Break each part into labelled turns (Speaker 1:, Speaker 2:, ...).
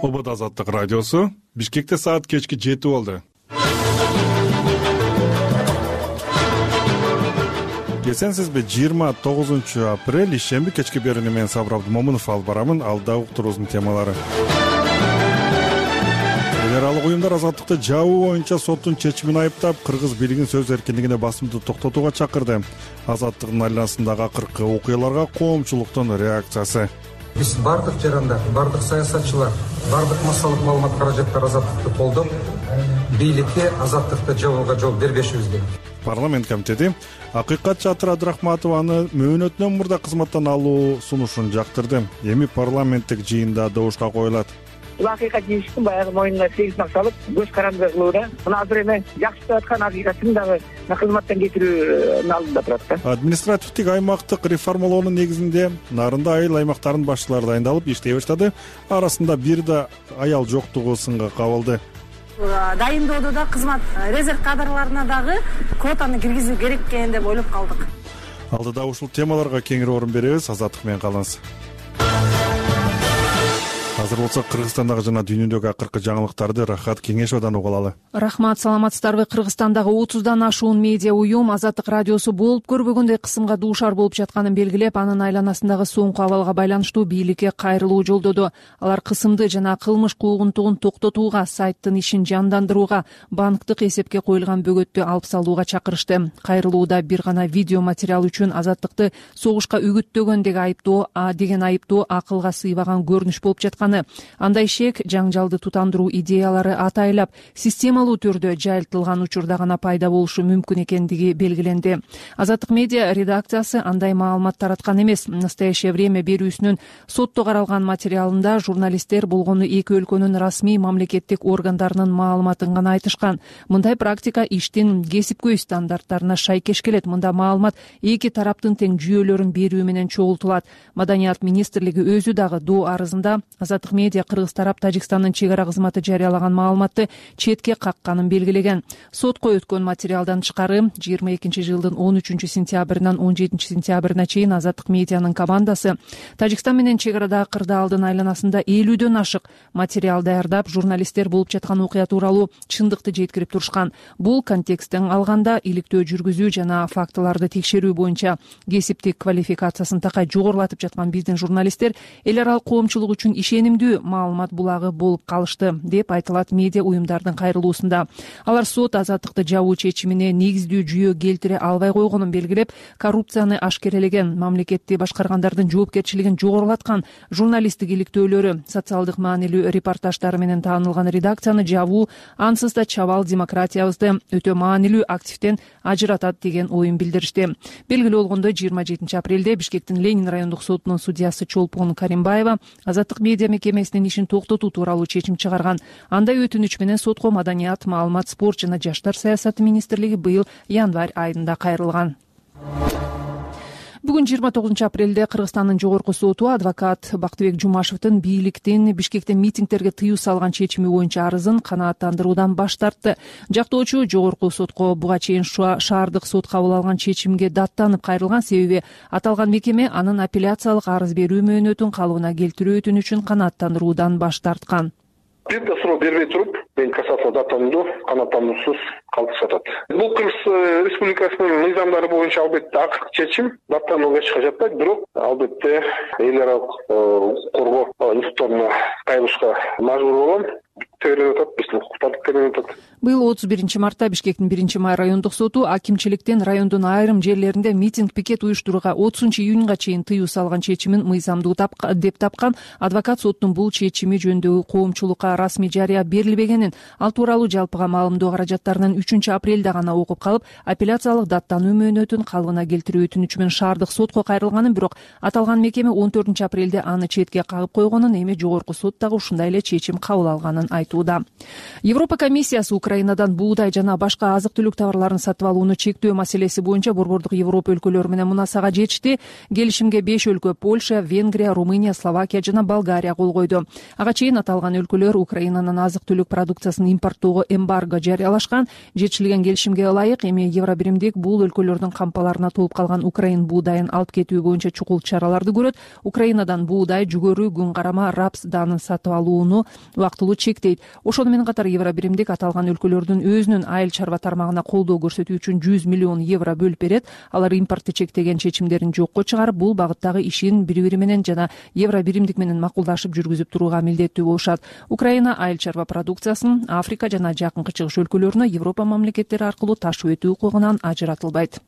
Speaker 1: Обод Азаттык радиосу. Бишкекте саат кечки 7 болду. Эсенсизби, 29 апрель ишемби кечки берүүнү мен Сабыр Абдымомунов алып барамын. Алда уктуруубуздун темалары. Эл аралык уюмдар азаттыкты жабуу боюнча соттун чечимин айыптап, кыргыз бийлигин сөз эркиндигине басымды токтотууга чакырды. Азаттыктын айланасындагы акыркы окуяларга коомчулуктун реакциясы.
Speaker 2: Биз бардык жарандар, бардык саясатчылар, бардык массалык маалымат каражаттар азаттыкты колдоп, бийликке азаттыкты жабууга жол бербешибиз керек.
Speaker 1: Парламент комитети Акыйкат Чатыр Абдрахматованы мөөнөтүнөн мурда кызматтан алуу сунушун жактырды. Эми парламенттик жыйында добушка коюлат.
Speaker 3: Бул акыйкат жыйыштын баягы моюнуна сегиз максалып көз каранды кылууда. Мына азыр эми жакшы деп аткан акыйкатын дагы кызматтан кетирүүнүн алдында турат да.
Speaker 1: Административдик аймактык реформалоонун негизинде Нарында айыл аймактарынын башчылары дайындалып иштей баштады. Арасында бир да аял жоктугу сынга кабылды.
Speaker 4: Дайындоодо да кызмат резерв кадрларына дагы квотаны киргизүү керек экен деп ойлоп калдык.
Speaker 1: Алдыда ушул темаларга кеңири орун беребиз. Азаттык менен калыңыз. Азыр болсо Кыргызстандагы жана дүйнөдөгү акыркы жаңылыктарды Рахат Кеңешовдон угуп алалы.
Speaker 5: Рахмат, саламатсыздарбы? Кыргызстандагы 30дан ашуун медиа уюм Азаттык радиосу болуп көрбөгөндөй кысымга дуушар болуп жатканын белгилеп, анын айланасындагы соңку абалга байланыштуу бийликке кайрылуу жолдоду. Алар кысымды жана кылмыш куугунтугун токтотууга, сайттын ишин жандандырууга, банктык эсепке коюлган бөгөттү алып салууга чакырышты. Кайрылууда бир гана видео материал үчүн азаттыкты согушка үгүттөгөн деген айыптоо акылга сыйбаган көрүнүш болуп жаткан. Андай шек, жаңжалды тутандыруу идеялары атайлап системалуу түрдө жайылтылган учурда гана пайда болушу мүмкүн экендиги белгиленди. Азаттык медиа редакциясы андай маалымат тараткан эмес. Настоящее время берүүсүнүн сотто каралган материалында журналисттер болгону эки өлкөнүн расмий мамлекеттик органдарынын маалыматын гана айтышкан. Мындай практика иштин кесипкөй стандарттарына шайкеш келет. Мында маалымат эки тараптын тең жүйөлөрүн берүү менен чогултулат. Маданият министрлиги өзү дагы доо арызында Азаттык медиа Кыргыз тарап Тажикстандын чек ара кызматы жарыялаган маалыматты четке какканын белгилеген. Сотко өткөн материалдан тышкары 22-жылдын 13-сентябрынан 17-сентябрына чейин Азаттык медианын командасы Тажикстан менен чек арадагы кырдаалдын айланасында 50дөн ашык материал даярдап, журналисттер болуп жаткан окуя тууралуу чындыкты жеткирип турушкан. Бул контексттен алганда иликтөө жүргүзүү жана фактыларды текшерүү боюнча кесиптик квалификациясын такай жогорулатып жаткан биздин журналисттер эл аралык коомчулук үчүн ишенимдүү маалымат булагы болуп калышты деп айтылат медиа уюмдардын кайрылуусунда. Алар сот азаттыкты жабуу чечимине негиздүү жүйө келтире албай койгонун белгилеп, коррупцияны ашкерелеген, мамлекетти башкаргандардын жоопкерчилигин жогорулаткан журналисттик иликтөөлөрү, социалдык маанилүү репортаждары менен таанылган редакцияны жабуу ансыз да чабал демократиябызды өтө маанилүү активден ажыратат деген оюн билдиришти. Белгилүү болгондой, 27 апрелде Бишкектин Ленин райондук сотунун судьясы Чолпон Каримбаева Азаттык медиа мекемесинин ишин токтотуу тууралуу чечим чыгарган. Андай өтүнүч менен сотко Маданият, маалымат, спорт жана жаштар саясаты министрлиги быйыл январь айында кайрылган. Бүгүн 29 апрелде Кыргызстандын жогорку соту адвокат Бактыбек Жумашевдин бийликтин Бишкекте митингдерге тыюу салган чечими боюнча арызын канааттандыруудан баш тартты. Жактоочу жогорку сотко буга чейин шаардык сот кабыл алган чечимге даттанып кайрылган, себеби аталган мекеме анын апелляциялык арыз берүү мөөнөтүн калыбына келтирүү өтүнүчүн канааттандыруудан баш тарткан.
Speaker 6: Бир да суроо бербей туруп, мен кассация даттанууну канааттандыруусуз калтырып жатат. Бул Кыргыз Республикасынын мыйзамдары боюнча албетте акыркы чечим даттанууга эч жатпайт, бирок албетте эл аралык коргоо институттарына кайрылышка мажбур болгон.
Speaker 5: Быйыл 31 мартта Бишкектин 1-май райондук соту акимчиликтин райондун айрым жерлеринде митинг пикет уюштурууга 30-июнга чейин тыюу салган чечимин мыйзамдуу деп тапкан. Адвокат соттун бул чечими жөнүндө коомчулукка расмий жарыя берилбегенин, ал тууралуу жалпыга маалымдоо каражаттарынын 3-апрелде гана окуп калып, апелляциялык даттануу мөөнөтүн калыбына келтирүү өтүнүчү менен шаардык сотко кайрылганын, бирок аталган мекеме 14 апрелде аны четке кагып койгонун, эми жогорку сот дагы ушундай эле чечим кабыл алганын айтты. айтууда. Европа комиссиясы Украинадан буудай жана башка азык-түлүк товарларын сатып алууну чектөө маселеси боюнча борбордук Европа өлкөлөрү менен мунасага жетишти. Келишимге 5 өлкө — Польша, Венгрия, Румыния, Словакия жана Болгария кол койду. Ага чейин аталган өлкөлөр Украинанын азык-түлүк продукциясын импорттоого эмбарго жарыялашкан. Жетишилген келишимге ылайык эми Евробиримдик бул өлкөлөрдүн кампаларына толуп калган Украин буудайын алып кетүү боюнча чукул чараларды көрөт. Украинадан буудай, жүгөрү, күн карама, рапс даанын сатып алууну убактылуу чектейт. Ошону менен катар Евробиримдик аталган өлкөлөрдүн өзүнүн айыл чарба тармагына колдоо көрсөтүү үчүн 100 миллион евро бөлүп берет. Алар импортты чектеген чечимдерин жокко чыгарып, бул багыттагы ишин бири-бири менен жана Евробиримдик менен макулдашып жүргүзүп турууга милдеттүү болушат. Украина айыл чарба продукциясын Африка жана Жакынкы Чыгыш өлкөлөрүнө Европа мамлекеттери аркылуу ташып өтүү укугунан ажыратылбайт.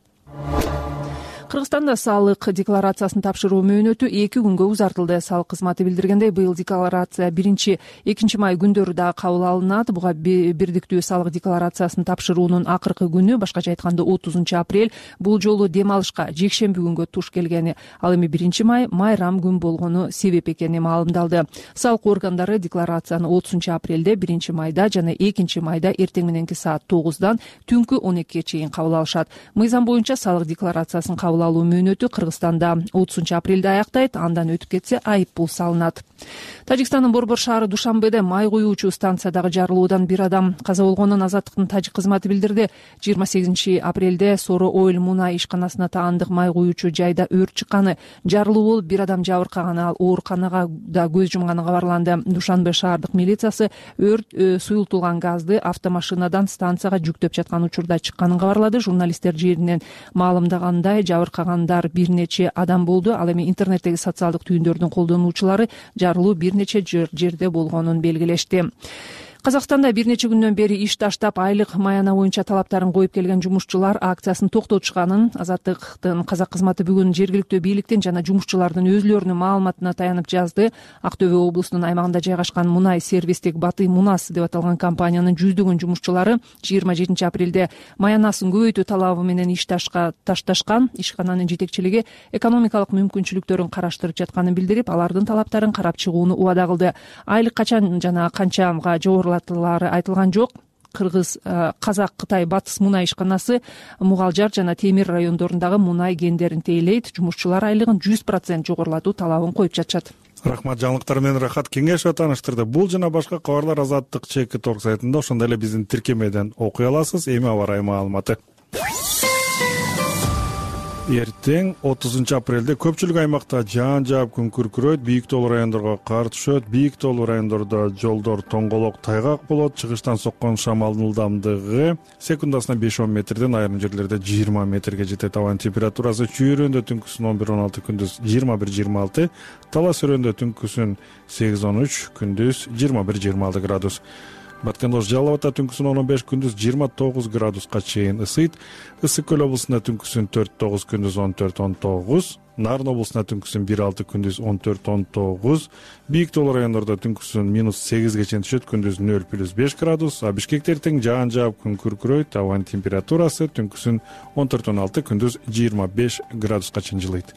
Speaker 5: Кыргызстанда салык декларациясын тапшыруу мөөнөтү 2 күнгө узартылды. Салык кызматы билдиргендей, быйыл декларация 1-2 май күндөрү да кабыл алынат. Буга бирдиктүү салык декларациясын тапшыруунун акыркы күнү, башкача айтканда 30 апрель, бул жолу дем алышка жекшемби күнгө туш келгени, ал эми 1 май майрам күн болгону себеп экени маалымдалды. Салык органдары декларацияны 30 апрелде, 1 майда жана 2 майда эртең мененки саат 9-дан түнкү 12-ге чейин кабыл алышат. Мыйзам боюнча салык декларациясын кабыл алуу мөөнөтү Кыргызстанда 30 апрелде аяктайт, андан өтүп кетсе айып пул салынат. Тажикстандын Борбор шаары Душанбеде май куюучу станциядагы жарылуудан 1 адам каза болгонун Азаттыктын тажик кызматы билдирди. 28 апрелде Соро Ойл мунай ишканасына таандык май куюучу жайда өрт чыкканы, жарылуу болуп 1 адам жабыркаганы, ал ооруканага да көз жумганы кабарланды. Душанбе шаардык милициясы өрт суюлтулган газды автомашинадан станцияга жүктөп жаткан учурда чыкканын кабарлады. Журналисттер жеринен маалымдагандай, жабыркагандар бир нече адам болду. Ал эми интернеттеги социалдык түйүндөрдүн колдонуучулары жарылуу бир нече жерде болгонун белгилешти. Казакстанда бир нече күндөн бери иш таштап, айлык маяна боюнча талаптарын коюп келген жумушчулар акциясын токтотушканын Азаттыктын казак кызматы бүгүн жергиликтүү бийликтин жана жумушчулардын өзүлөрүнүн маалыматына таянып жазды. Актөбө облусунун аймагында жайгашкан мунай сервистик Батый Мунас деп аталган компаниянын жүздөгөн жумушчулары 27 апрелде маянасын көбөйтүү талабы менен иш ташташкан. Ишкананын жетекчилиги экономикалык мүмкүнчүлүктөрүн караштырып жатканын билдирип, алардын талаптарын карап чыгууну убада кылды. Айлык качан жана канчага жогорулатылары айтылган жок. Кыргыз, Казак, Кытай Батыс мунай ишканасы Мугалжар жана Темир райондорундагы мунай кендерин тейлейт. Жумушчулар айлыгын 100% жогорулатуу талабын коюп жатышат.
Speaker 1: Рахмат, жаңылыктар менен Рахат Кеңешова тааныштырды. Бул жана башка кабарлар Азаттык ЧК сайтында, ошондой эле биздин тиркемеден окуй аласыз. Эми аба ырайы маалыматы. Эртең 30 апрелде көпчүлүк аймакта жаан жаап күн күркүрөйт, бийик тоолуу райондорго кар түшөт. Бийик тоолуу райондордо жолдор тоңголок, тайгак болот. Чыгыштан соккон шамалдын ылдамдыгы секундасына 5-10 метрден, айрым жерлерде 20 метрге жетет. Абанын температурасы чүйрөндө түнкүсүн 11-16, күндүз 21-26, талас өрөндө түнкүсүн 8-13, күндүз 21-26 градус. Баткендош Жалал Абадта түнкүсүн 15, күндүз 29 градуска чейин ысыйт. Ысык көл облусунда түнкүсүн 4-9, күндүз 14-19. Нарын облусунда түнкүсүн 1-6, күндүз 14-19. Бийик тоолуу райондордо түнкүсүн -8ге чейин түшөт, күндүз 0+5 градус. А Бишкекте эртең жаан жаап күн күркүрөйт. Абанын температурасы түнкүсүн 14-16, күндүз 25 градуска чейин жылыйт.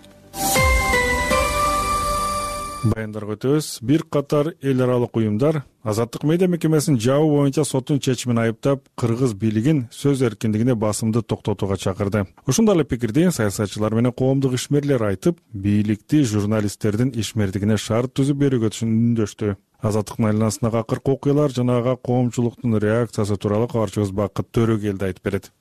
Speaker 1: Баяндарга өтөбүз. Бир катар эл аралык уюмдар Азаттык медиа мекемесин жабуу боюнча соттун чечимин айыптап, кыргыз бийлигин сөз эркиндигине басымды токтотууга чакырды. Ошондой эле пикирди саясатчылар менен коомдук ишмерлер айтып, бийликти журналисттердин ишмердигине шарт түзүп берүүгө үндөштү. Азаттыктын айланасындагы акыркы окуялар жана ага коомчулуктун реакциясы тууралуу кабарчыбыз Бакыт Төрөгелди айтып берет.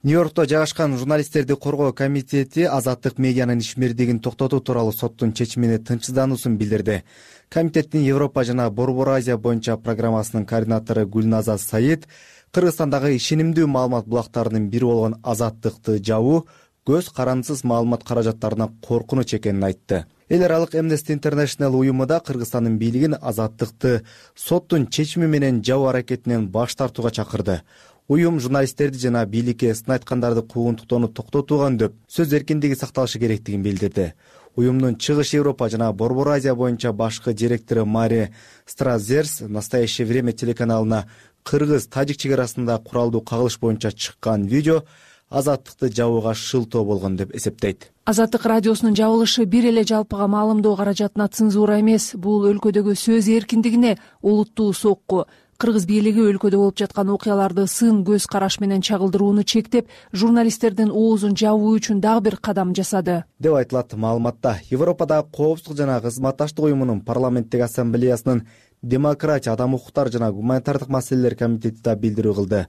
Speaker 7: Нью-Йоркто жайгашкан журналисттерди коргоо комитети Азаттык медианын ишмердигин токтотуу тууралуу соттун чечимине тынчсыздануусун билдирди. Комитеттин Европа жана Борбор Азия боюнча программасынын координатору Гүлназа Саид Кыргызстандагы ишенимдүү маалымат булактарынын бири болгон Азаттыкты жабуу көз карандысыз маалымат каражаттарына коркунуч экенин айтты. Эл аралык Amnesty International уюму да Кыргызстандын бийлигин Азаттыкты соттун чечими менен жабуу аракетинен баш тартууга чакырды. Уюм журналисттерди жана бийликке сын айткандарды куугунтуктоону токтотууга үндөп, сөз эркиндиги сакталышы керектигин билдирди. Уюмдун Чыгыш Европа жана Борбор Азия боюнча башкы директору Мари Стразерс «Настоящее время» телеканалына кыргыз-тажик чек арасында куралдуу кагылыш боюнча чыккан видео Азаттыкты жабууга шылтоо болгон деп эсептейт.
Speaker 5: Азаттык радиосунун жабылышы бир эле жалпыга маалымдоо каражатына цензура эмес, бул өлкөдөгү сөз эркиндигине олуттуу сокку. кыргыз бийлиги өлкөдө болуп жаткан окуяларды сын көз караш менен чагылдырууну чектеп, журналисттердин оозун жабуу үчүн дагы бир кадам жасады
Speaker 7: деп айтылат маалыматта. Европадагы Коопсуздук жана кызматташтык уюмунун парламенттик ассамблеясынын демократия, адам укуктары жана гуманитардык маселелер комитети да билдирүү кылды.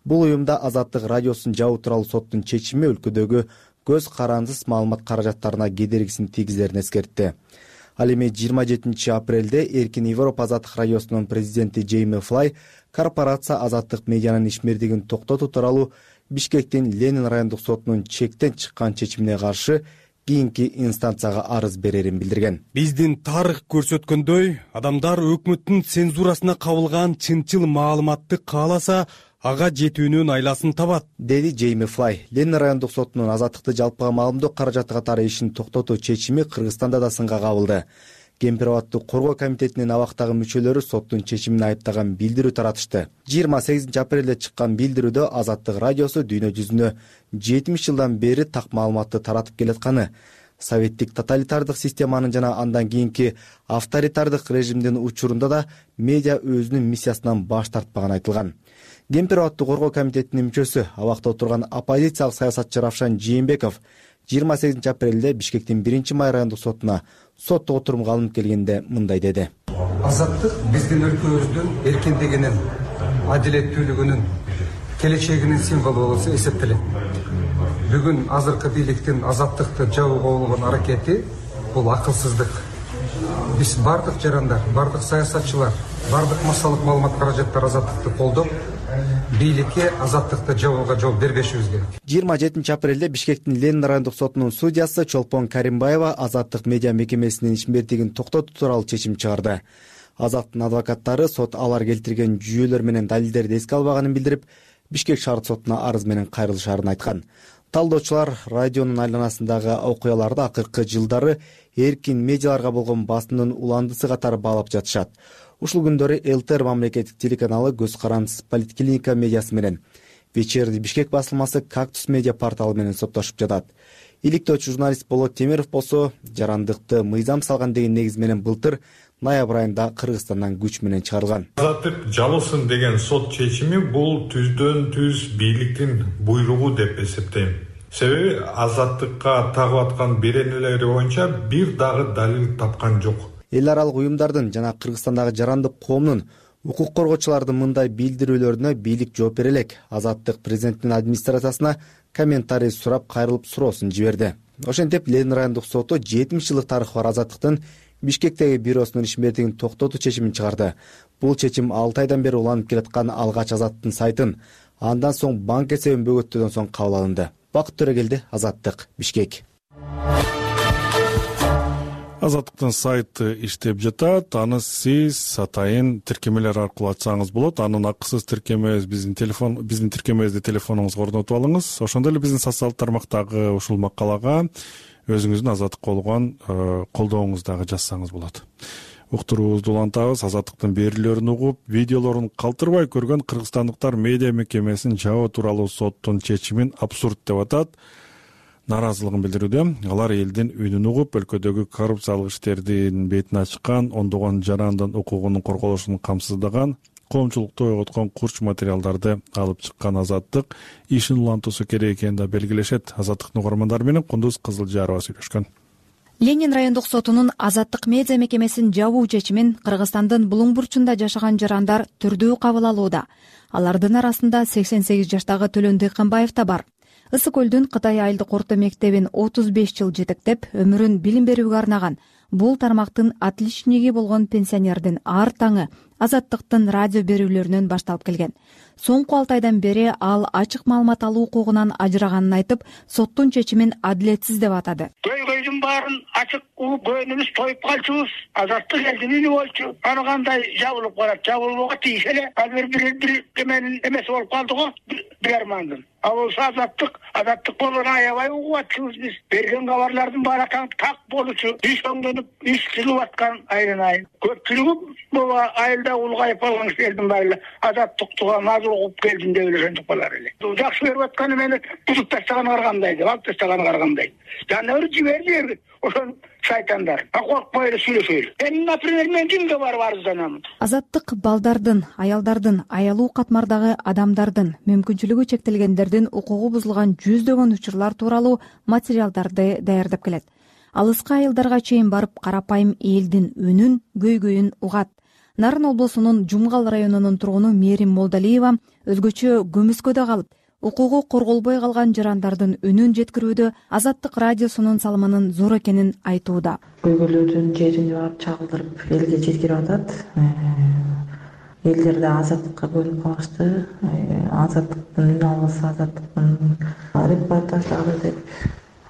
Speaker 7: Бул уюмда Азаттык радиосун жабуу тууралуу соттун чечими өлкөдөгү көз карансыз маалымат каражаттарына кедергисин тийгизерин эскертти. Ал эми 27 апрелде Эркин Европа Азаттык радиосунун президенти Джейми Флай корпорация Азаттык медианын ишмердигин токтотуу тууралуу Бишкектин Ленин райондук сотунун чектен чыккан чечимине каршы кийинки инстанцияга арыз берерин билдирген.
Speaker 8: Биздин тарых көрсөткөндөй, адамдар өкмөттүн цензурасына кабылган чынчыл маалыматты кааласа, ага жетүүнүн айласын табат,
Speaker 7: деди Джейми Флай. Ленин райондук сотунун азаттыкты жалпыга маалымдоо каражаты катары ишин токтотуу чечими Кыргызстанда да сынга кабылды. Кемпир-абадты коргоо комитетинин абактагы мүчөлөрү соттун чечимин айыптаган билдирүү таратышты. 28 апрелде чыккан билдирүүдө Азаттык радиосу дүйнө жүзүнө 70 жылдан бери так маалыматты таратып келатканы, советтик тоталитардык системанын жана андан кийинки авторитардык режимдин учурунда да медиа өзүнүн миссиясынан баш тартпаганы айтылган. Кемпир-абадты коргоо комитетинин мүчөсү, абакта отурган оппозициялык саясатчы Равшан Жээнбеков 28 апрелде Бишкектин 1-май райондук сотуна соттук отурумга алынып келгенде мындай деди.
Speaker 2: Азаттык биздин өлкөбүздүн эркиндигинин, адилеттүүлүгүнүн, келечегинин символу болуп эсептелет. Бүгүн азыркы бийликтин азаттыкты жабууга болгон аракети бул акылсыздык. Биз бардык жарандар, бардык саясатчылар, бардык массалык маалымат каражаттар азаттыкты колдоп, бийликке азаттыкты жабууга жол бербешибиз керек.
Speaker 7: 27 апрелде Бишкектин Ленин райондук сотунун судьясы Чолпон Каримбаева Азаттык медиа мекемесинин ишмердигин токтотуу тууралуу чечим чыгарды. Азаттын адвокаттары сот алар келтирген жүйөлөр менен далилдерди эске албаганын билдирип, Бишкек шаар сотуна арыз менен кайрылышаарын айткан. Талдоочулар радионун айланасындагы окуяларды акыркы жылдары эркин медиаларга болгон басымдын уландысы катары баалап жатышат. Ушул күндөрү ЛТР мамлекеттик телеканалы көз карансыз политклиника медиасы менен, Вечерний Бишкек басылмасы Кактус медиа порталы менен соттошуп жатат. Иликтөөчү журналист Болот Темиров болсо жарандыкты мыйзам салган деген негиз менен былтыр ноябрь айында Кыргызстандан күч менен чыгарылган.
Speaker 9: Азаттык жабылсын деген сот чечими бул түздөн түз бийликтин буйругу деп эсептейм. Себеби азаттыкка тагып аткан беренелери боюнча бир дагы далил тапкан жок.
Speaker 7: Эл аралык уюмдардын жана Кыргызстандагы жарандык коомдун укук коргоочулардын мындай билдирүүлөрүнө бийлик жооп бере элек. Азаттык президенттин администрациясына комментарий сурап кайрылып суроосун жиберди. Ошентип Ленин райондук соту 70 жылдык тарыхы бар Азаттыктын Бишкектеги бюросунун ишмердигин токтотуу чечимин чыгарды. Бул чечим 6 айдан бери уланып келаткан алгач Азаттыктын сайтын, андан соң банк эсебин бөгөттөөдөн соң кабыл алынды. Бакыт Төрөгелди, Азаттык, Бишкек.
Speaker 1: Азаттыктын сайты иштеп жатат. Аны сиз атайын тиркемелер аркылуу ачсаңыз болот. Анын акысыз тиркемебиз биздин тиркемебизди телефонуңузга орнотуп алыңыз. Ошондой эле биздин социалдык тармактагы ушул макалага өзүңүздүн азаттыкка болгон колдооңузду дагы жазсаңыз болот. Уктуруубузду улантабыз. Азаттыктын берүүлөрүн угуп, видеолорун калтырбай көргөн кыргызстандыктар медиа мекемесин жабуу тууралуу соттун чечимин абсурд деп атат. Наразылыгын билдирүүдө. Алар элдин үнүн угуп, өлкөдөгү коррупциялык иштердин бетин ачкан, ондогон жарандын укугунун корголушун камсыздаган, коомчулукту ойготкон курч материалдарды алып чыккан Азаттык ишин улантуусу керек экенин да белгилешет. Азаттыктын угармандары менен Кундуз Кызылжарова сүйлөшкөн.
Speaker 10: Ленин райондук сотунун Азаттык медиа мекемесин жабуу чечимин Кыргызстандын булуң бурчунда жашаган жарандар түрдүү кабыл алууда. Алардын арасында 88 жаштагы Төлөн Дыйканбаев да бар. Ысык көлдүн Кытай айылдык орто мектебин 35 жыл жетектеп, өмүрүн билим берүүгө арнаган бул тармактын отличниги болгон пенсионердин ар таңы Азаттыктын радио берүүлөрүнөн башталып келген. Соңку 6 айдан бери ал ачык маалымат алуу укугунан ажыраганын айтып, соттун чечимин адилетсиз деп атады.
Speaker 3: Көйгөйдүн баарын ачык угуп көөнүбүз тоюп калчубуз. Азаттык элдин үнү болчу. Аны кандай жабылып калат? Жабылууга тийиш эле. Азыр бир эменин эмеси болуп калды го, бир армандын. Ал азаттык болгон аябай угуп атчубуз биз. Берген кабарлардын баары так болчу. Иш оңдонуп, иш чыгып аткан айрын. Көпчүлүгү бул айылда улгайып калган кишилердин баары азаттыктыга назыр угуп келдим деп эле болар эле. Жакшы берип атканы мени бузуп тастаганга кандай деп, алып тастаганга кандай. Жана жиберди. ошон шайтандар. Коркпой эле сүйлөшөйлү. Например, мен кимге барып арызданамын?
Speaker 10: Азаттык балдардын, аялдардын, аялуу катмардагы адамдардын, мүмкүнчүлүгү чектелгендердин укугу бузулган жүздөгөн учурлар тууралуу материалдарды даярдап келет. Алыска айылдарга чейин барып карапайым элдин үнүн, көйгөйүн угат. Нарын облусунун Жумгал районунун тургуну Мерим Молдалиева өзгөчө көмүскөдө калып, укугу корголбой калган жарандардын үнүн жеткирүүдө Азаттык радиосунун салымынын зор экенин айтууда.
Speaker 11: Көйгөйлөрдүн жерине барып чагылдырып элге жеткирип атат. Элдер да азаттыкка бөлүнүп калышты. Азаттыктын үн албаса, азаттыктын репортаждары деп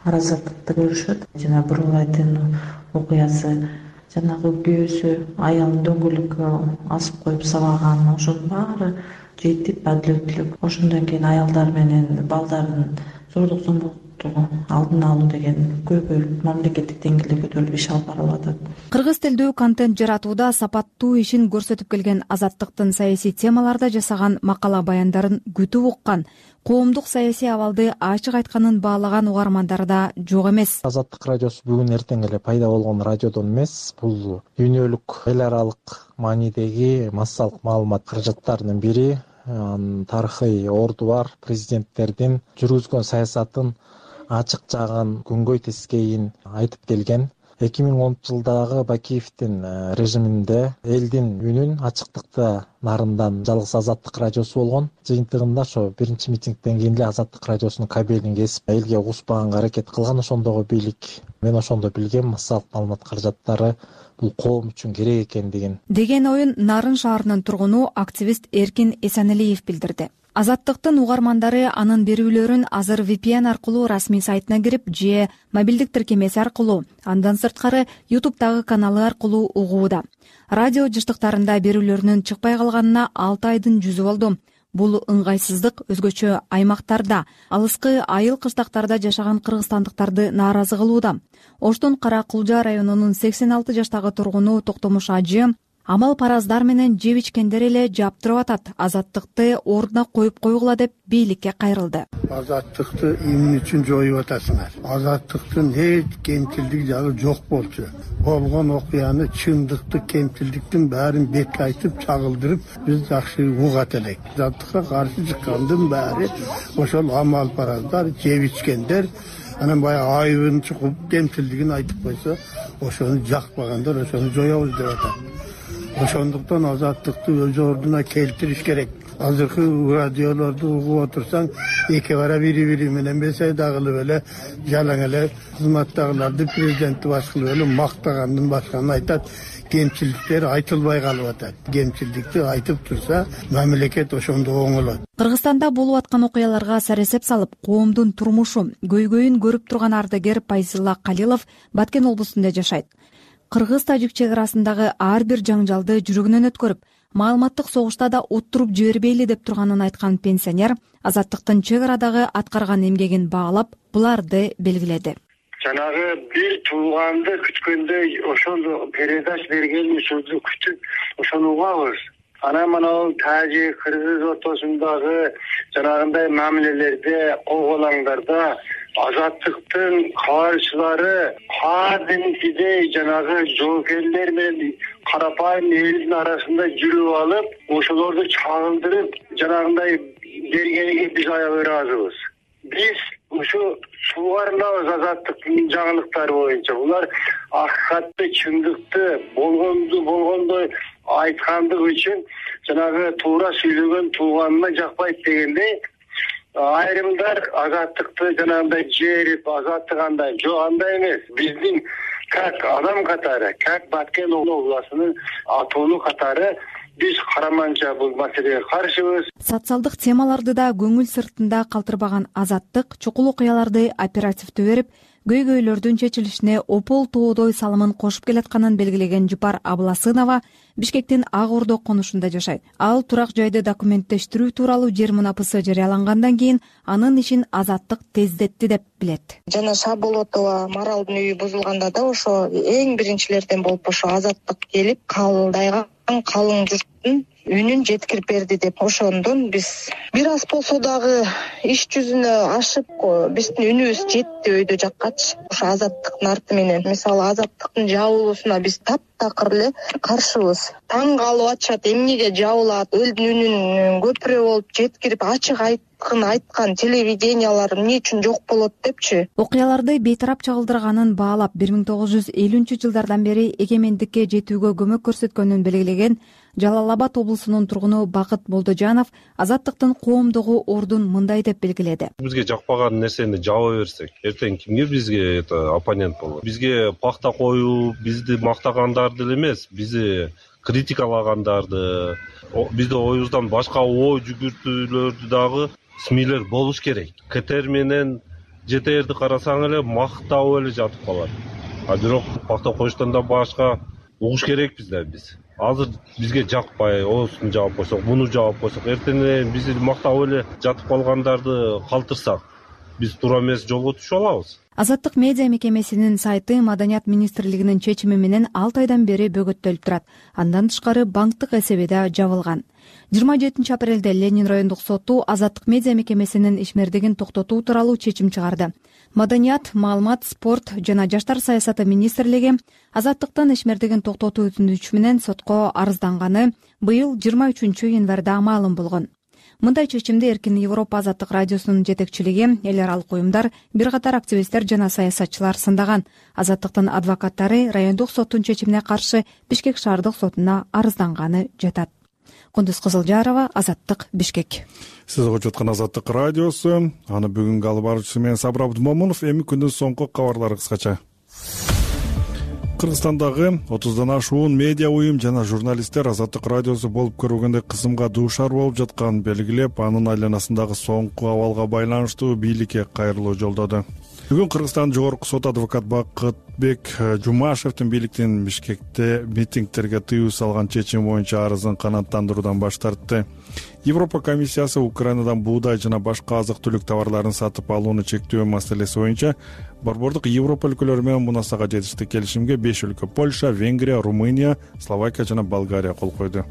Speaker 11: аразаттыкты көрүшөт. Жана Бурулайдын окуясы, жанагы күйөөсү аялын дөңгөлөккө асып коюп сабаган, ошонун баары жетип адилеттүүлүк. Ошондон кийин аялдар менен балдардын зордук зомбулукту алдын алуу деген көйгөй мамлекеттик деңгээлде көтөрүлүп иш алып барылып атат.
Speaker 10: Кыргыз тилдүү контент жаратууда сапаттуу ишин көрсөтүп келген Азаттыктын саясий темаларда жасаган макала баяндарын күтүп уккан, коомдук саясий абалды ачык айтканын баалаган угармандар да жок эмес.
Speaker 12: Азаттык радиосу бүгүн эртең эле пайда болгон радиодон эмес, бул дүйнөлүк эл аралык маанидеги массалык маалымат каражаттарынын бири. Тарыхый орду бар президенттердин жүргүзгөн саясатын ачык жагын, күнгөй тескейин айтып келген. 2010-жылдагы Бакиевдин режиминде элдин үнүн ачыктыкта нарындан жалгыз Азаттык радиосу болгон. Жыйынтыгында ошо биринчи митингден кийин эле Азаттык радиосунун кабелин кесип, элге угушпаганга аракет кылган ошондогу бийлик. Мен ошондо билгем, массалык маалымат каражаттары бул коом үчүн керек экендигин.
Speaker 10: Деген оюн Нарын шаарынын тургуну активист Эркин Эсенелиев билдирди. Азаттыктын угармандары анын берүүлөрүн азыр VPN аркылуу расмий сайтына кирип же мобилдик тиркемеси аркылуу, андан сырткары YouTube'дагы каналы аркылуу угууда. Радио жыштыктарында берүүлөрүнүн чыкпай калганына 6 айдын жүзү болду. Бул ыңгайсыздык өзгөчө аймактарда, алыскы айыл кыштактарда жашаган кыргызстандыктарды нааразы кылууда. Оштун Кара Кулжа районунун 86 жаштагы тургуну Токтомуш ажы амал параздар менен жеп ичкендер эле жаптырып атат. Азаттыкты ордуна коюп койгула деп бийликке кайрылды.
Speaker 13: Азаттыкты эмне үчүн жоюп атасыңар? Азаттыктын эч кемчилдик жагы жок болчу. Болгон окуяны, чындыкты, кемчилдиктин баарын бетке айтып, чагылдырып, биз жакшы угат элек. Азаттыкка каршы чыккандын баары ошол амал параздар, жеп ичкендер, анан баягы айыбын чукуп, кемчилдигин айтып койсо, ошону жакпагандар ошону жоебуз деп атат. Ошондуктан азаттыкты өз ордуна келтириш керек. Азыркы радиолорду угуп отурсаң, эки бара бири менен бесайда кылып эле, жалаң эле кызматтагыларды президентти баш кылып эле мактагандан башканы айтат. Кемчилдиктер айтылбай калып атат. Кемчилдикти айтып турса, мамлекет ошондо оңолот.
Speaker 10: Кыргызстанда болуп аткан окуяларга саресеп салып, коомдун турмушу, көйгөйүн көрүп турган ардагер Пайзилла Калилов Баткен облусунда жашайт. Кыргыз-тажик чек арасындагы ар бир жаңжалды жүрөгүнөн өткөрүп, маалыматтык согушта да уттуруп жибербейли деп турганын айткан пенсионер Азаттыктын чек арадагы аткарган эмгегин баалап, буларды белгиледи.
Speaker 3: Жанагы бир тууганды күткөндөй ошондо передач берген сөздү күтүп, ошону угабыз. Анан мына тажик, кыргыз ортосундагы жанагындай мамилелерде, кол-колаңдарда Азаттыктын кабарчылары кадимкидей жанагы жоокерлер менен карапайым элдин арасында жүрүп алып, ошолорду чагылдырып, жанагындай бергениге биз аябай ыраазыбыз. Биз ушу суугарылабыз Азаттыктын жаңылыктары боюнча. Булар акыйкатты, чындыкты, болгондой айткандык үчүн жанагы туура сүйлөгөн тууганына жакпайт дегендей, айрымдар Азаттыкты жанагындай жерип, азаттыгандай, жок андай эмес. Биздин как адам катары, как Баткен областынын атоону катары биз караманча бул маселеге каршыбыз.
Speaker 10: Социалдык темаларды да көңүл сыртында калтырбаган Азаттык чукул окуяларды оперативдүү берип, көйгөйлөрдүн чечилишине опол тоодой салымын кошуп келатканын белгилеген Жупар Абласынова Бишкектин Ак Ордо конушунда жашайт. Ал турак жайды документтештирүү тууралуу жер мунапысы жарыялангандан кийин анын ишин Азаттык тездетти деп билет.
Speaker 14: Жана Шаболотова Маралдын үйү бузулганда да ошо эң биринчилерден болуп ошо Азаттык келип, калдайган калың журттун үнүн жеткирип берди деп ошондон биз бир аз болсо дагы иш жүзүнө ашып биздин үнүбүз жетти өйдө жаккачы. Ошо Азаттыктын арты менен мисалы Азаттыктын жабылуусуна биз таптакыр эле каршыбыз. Таң калып атышат, эмнеге жабылат, элдин үнүн көпүрө болуп жеткирип ачык айткан телевидениялар эмне үчүн жок болот депчи.
Speaker 10: Окуяларды бейтарап чагылдырганын баалап 1950-жылдардан бери эгемендикке жетүүгө көмөк көрсөткөнүн белгилеген Жалал Абад облусунун тургуну Бакыт Молдожанов Азаттыктын коомдогу ордун мындай деп белгиледи.
Speaker 15: Бизге жакпаган нерсени жаба берсек, эртең кимге бизге оппонент болот? Бизге пахта коюп, бизди мактагандар деле эмес, бизди критикалагандарды, бизде оюбуздан башка ой жүгүртүүлөрдү дагы смилер болуш керек. КТР менен ЖТРди карасаң эле мактап эле жатып калат. Бирок пахта коюштан да башка угуш керекпиз да биз. Азыр бизге жакпай, осуну жаап койсок, муну жаап койсок, эртең бизди мактап эле жатып калгандарды калтырсак, биз туура эмес жолго түшүп алабыз.
Speaker 10: Азаттык медиа мекемесинин сайты Маданият министрлигинин чечими менен 6 айдан бери бөгөттөлүп турат. Андан тышкары банктык эсеби да жабылган. 27 апрелде Ленин райондук соту Азаттык медиа мекемесинин ишмердигин токтотуу тууралуу чечим чыгарды. Маданият, маалымат, спорт жана жаштар саясаты министрлиги Азаттыктын ишмердигин токтотуу өтүнүчү менен сотко арызданганы быйыл 23 январда маалым болгон. Мындай чечимди Эркин Европа Азаттык радиосунун жетекчилиги, эл аралык уюмдар, бир катар активисттер жана саясатчылар сындаган. Азаттыктын адвокаттары райондук соттун чечимине каршы Бишкек шаардык сотуна арызданганы жатат. Кундуз Кызылжарова, Азаттык, Бишкек.
Speaker 1: Сиз угуп жаткан Азаттык радиосу. Аны бүгүнкү алып баруучусу мен Сабыр Абдумомунов. Эми күндүн соңку кабарлары кыскача. Кыргызстандагы 30дан ашуун медиа уюм жана журналисттер Азаттык радиосу болуп көрбөгөндөй кысымга дуушар болуп жатканын белгилеп, анын айланасындагы соңку абалга байланыштуу бийликке кайрылуу жолдоду. Бүгүн Кыргызстан жогорку сот адвокат Бакытбек Жумашевдин бийликтин Бишкекте митингтерге тыюу салган чечим боюнча арызын канааттандыруудан баш тартты. Европа комиссиясы Украинадан буудай жана башка азык-түлүк товарларын сатып алууну чектөө маселеси боюнча борбордук Европа өлкөлөрү менен мунасага жетишти келишимге 5 өлкө — Польша, Венгрия, Румыния, Словакия жана Болгария кол койду.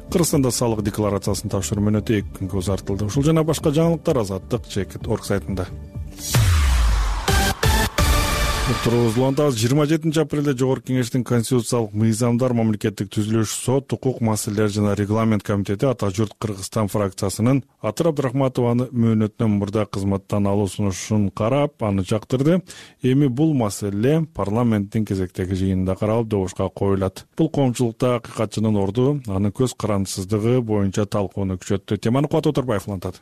Speaker 1: Кыргызстанда салык декларациясын тапшыруу мөөнөтү 2 күнгө узартылды. Ушул жана башка жаңылыктар Азаттык.org сайтында. Тургузулганда 27 апрелде Жогорку Кеңештин Конституциялык мыйзамдар, мамлекеттик түзүлүш, сот, укук маселелери жана регламент комитети Ата журт Кыргызстан фракциясынын Атыр Абдрахматованы мөөнөтүнөн мурда кызматтан алуу сунушун карап, аны жактырды. Эми бул маселе парламенттин кезектеги жыйынында каралып, добушка коюлат. Бул коомчулукта акыйкатчынын орду, анын көз карандысыздыгы боюнча талкууну күчөттү. Теманы Кубат Оторбаев улантат.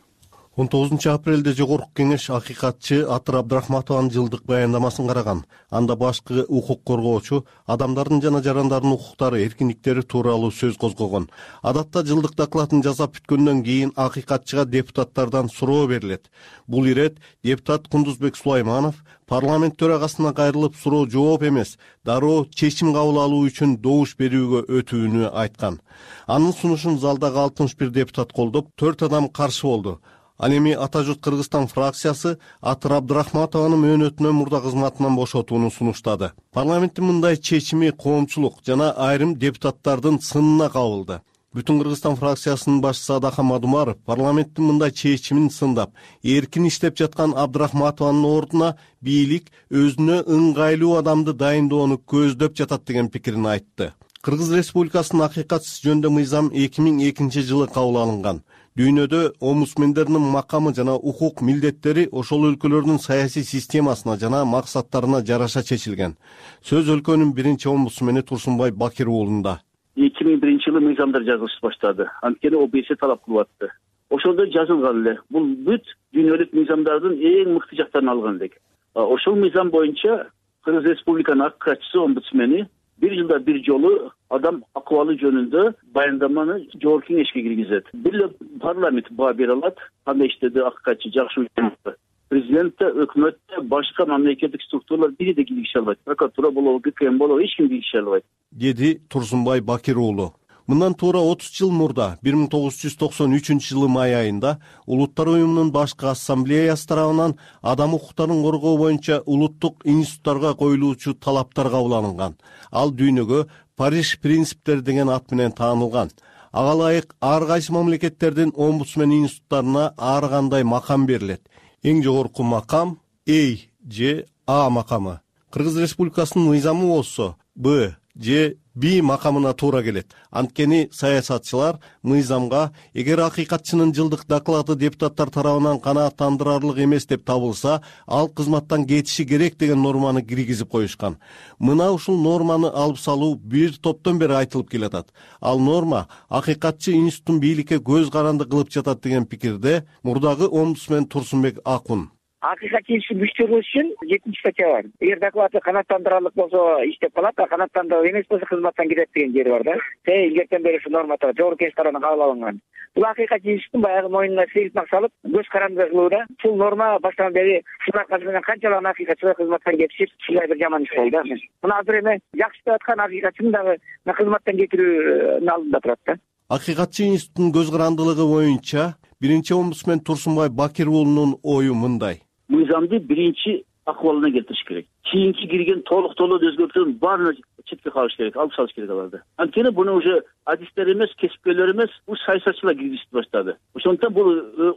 Speaker 16: 19 апрелде Жогорку Кеңеш акыйкатчы Атыр Абдрахматованын жылдык баяндамасын караган. Анда башкы укук коргоочу адамдардын жана жарандардын укуктары, эркиндиктери тууралуу сөз козгогон. Адатта жылдык докладын жасап бүткөндөн кийин акыйкатчыга депутаттардан суроо берилет. Бул ирет депутат Кундузбек Сулайманов парламент төрагасына кайрылып суроо жооп эмес, дароо чечим кабыл алуу үчүн добуш берүүгө өтүүнү айткан. Анын сунушун залдагы 61 депутат колдоп, 4 адам каршы болду. Ал эми Ата журт Кыргызстан фракциясы Атыр Абдрахматованы мөөнөтүнөн мурда кызматынан бошотууну сунуштады. Парламенттин мындай чечими коомчулук жана айрым депутаттардын сынына кабылды. Бүтүн Кыргызстан фракциясынын башчысы Адахан Мадумаров парламенттин мындай чечимин сындап, эркин иштеп жаткан Абдрахматованын ордуна бийлик өзүнө ыңгайлуу адамды дайындоону көздөп жатат деген пикирин айтты. Кыргыз Республикасынын акыйкатсыз жөнүндө мыйзам 2002 жылы кабыл алынган. Дүйнөдө омусмендердин макамы жана укук милдеттери ошол өлкөлөрдүн саясий системасына жана максаттарына жараша чечилген. Сөз өлкөнүн биринчи омусмени Турсунбай Бакир уулунда.
Speaker 17: 2001 жылы мыйзамдар жазылыш баштады. Анткени ОБС талап кылып атты. Ошолдо жазылган эле. Бул бүт дүйнөлүк мыйзамдардын эң мыкты жактарын алган элек. Ошол мыйзам боюнча Кыргыз Республиканын акыйкатчысы омбудсмени бир жылда бир жолу адам акыбалы жөнүндө баяндаманы Жогорку Кеңешке киргизет. Бир эле парламент баа бере алат, кандай иштеди акыйкатчы, жакшы учурда. Президентте, өкмөттө, башка мамлекеттик структуралар бири да киргизе албайт. Прокуратура болобу, ГКМ болобу, эч ким киргизе албайт,
Speaker 16: деди Турсунбай Бакир уулу. Мындан туура 30 жыл мурда 1993 жылы май айында Улуттар уюмунун башкы ассамблеясы тарабынан адам укуктарын коргоо боюнча улуттук институттарга коюлуучу талаптар кабыл алынган. Ал дүйнөгө Париж принциптери деген ат менен таанылган. ага ылайык ар кайсы мамлекеттердин омбудсмен институттарына ар кандай макам берилет. Эң жогорку макам A же А макамы. Кыргыз Республикасынын мыйзамы болсо Б же B макамына туура келет. Анткени саясатчылар мыйзамга эгер акыйкатчынын жылдык доклады депутаттар тарабынан канааттандырарлык эмес деп табылса, ал кызматтан кетиши керек деген норманы киргизип коюшкан. Мына ушул норманы алып салуу бир топтон бери айтылып келатат. Ал норма акыйкатчы институттун бийликке көз каранды кылып жатат деген пикирде мурдагы омбудсмен Турсунбек Акун.
Speaker 18: Акыйкатчы институттун күчтөрүш үчүн 7 статья бар. Эгер доклады канааттандырарлык болсо иштеп калат, а канааттандырып эмес болсо кызматтан кетет деген жери бар да. Илгертен бери ушу норма турат, жогорку кеңеш тарабынан кабыл алынган. Бул акыйкатчы институттун баягы мойнуна сейилтмак салып, көз каранды кылууда. Бул норма баштан бери ушул менен канчалык акыйкатчылар кызматтан кетишип, ушундай бир жаман иш болду да. Мына азыр эми жакшы иштеп аткан акыйкатчыны дагы кызматтан кетирүүнүн алдында турат да.
Speaker 16: Акыйкатчы институттун көз карандылыгы боюнча биринчи омбудсмен Турсунбай Бакир уулунун ою мындай.
Speaker 17: Мыйзамды биринчи акыбалына келтириш керек. Кийинки кирген толук өзгөртүүлөрдүн баарын четке калыш керек, алып салыш керек аларды. Анткени буну уже адистер эмес, кесипкерлер эмес, бул саясатчылар киргизип баштады. Ошондуктан бул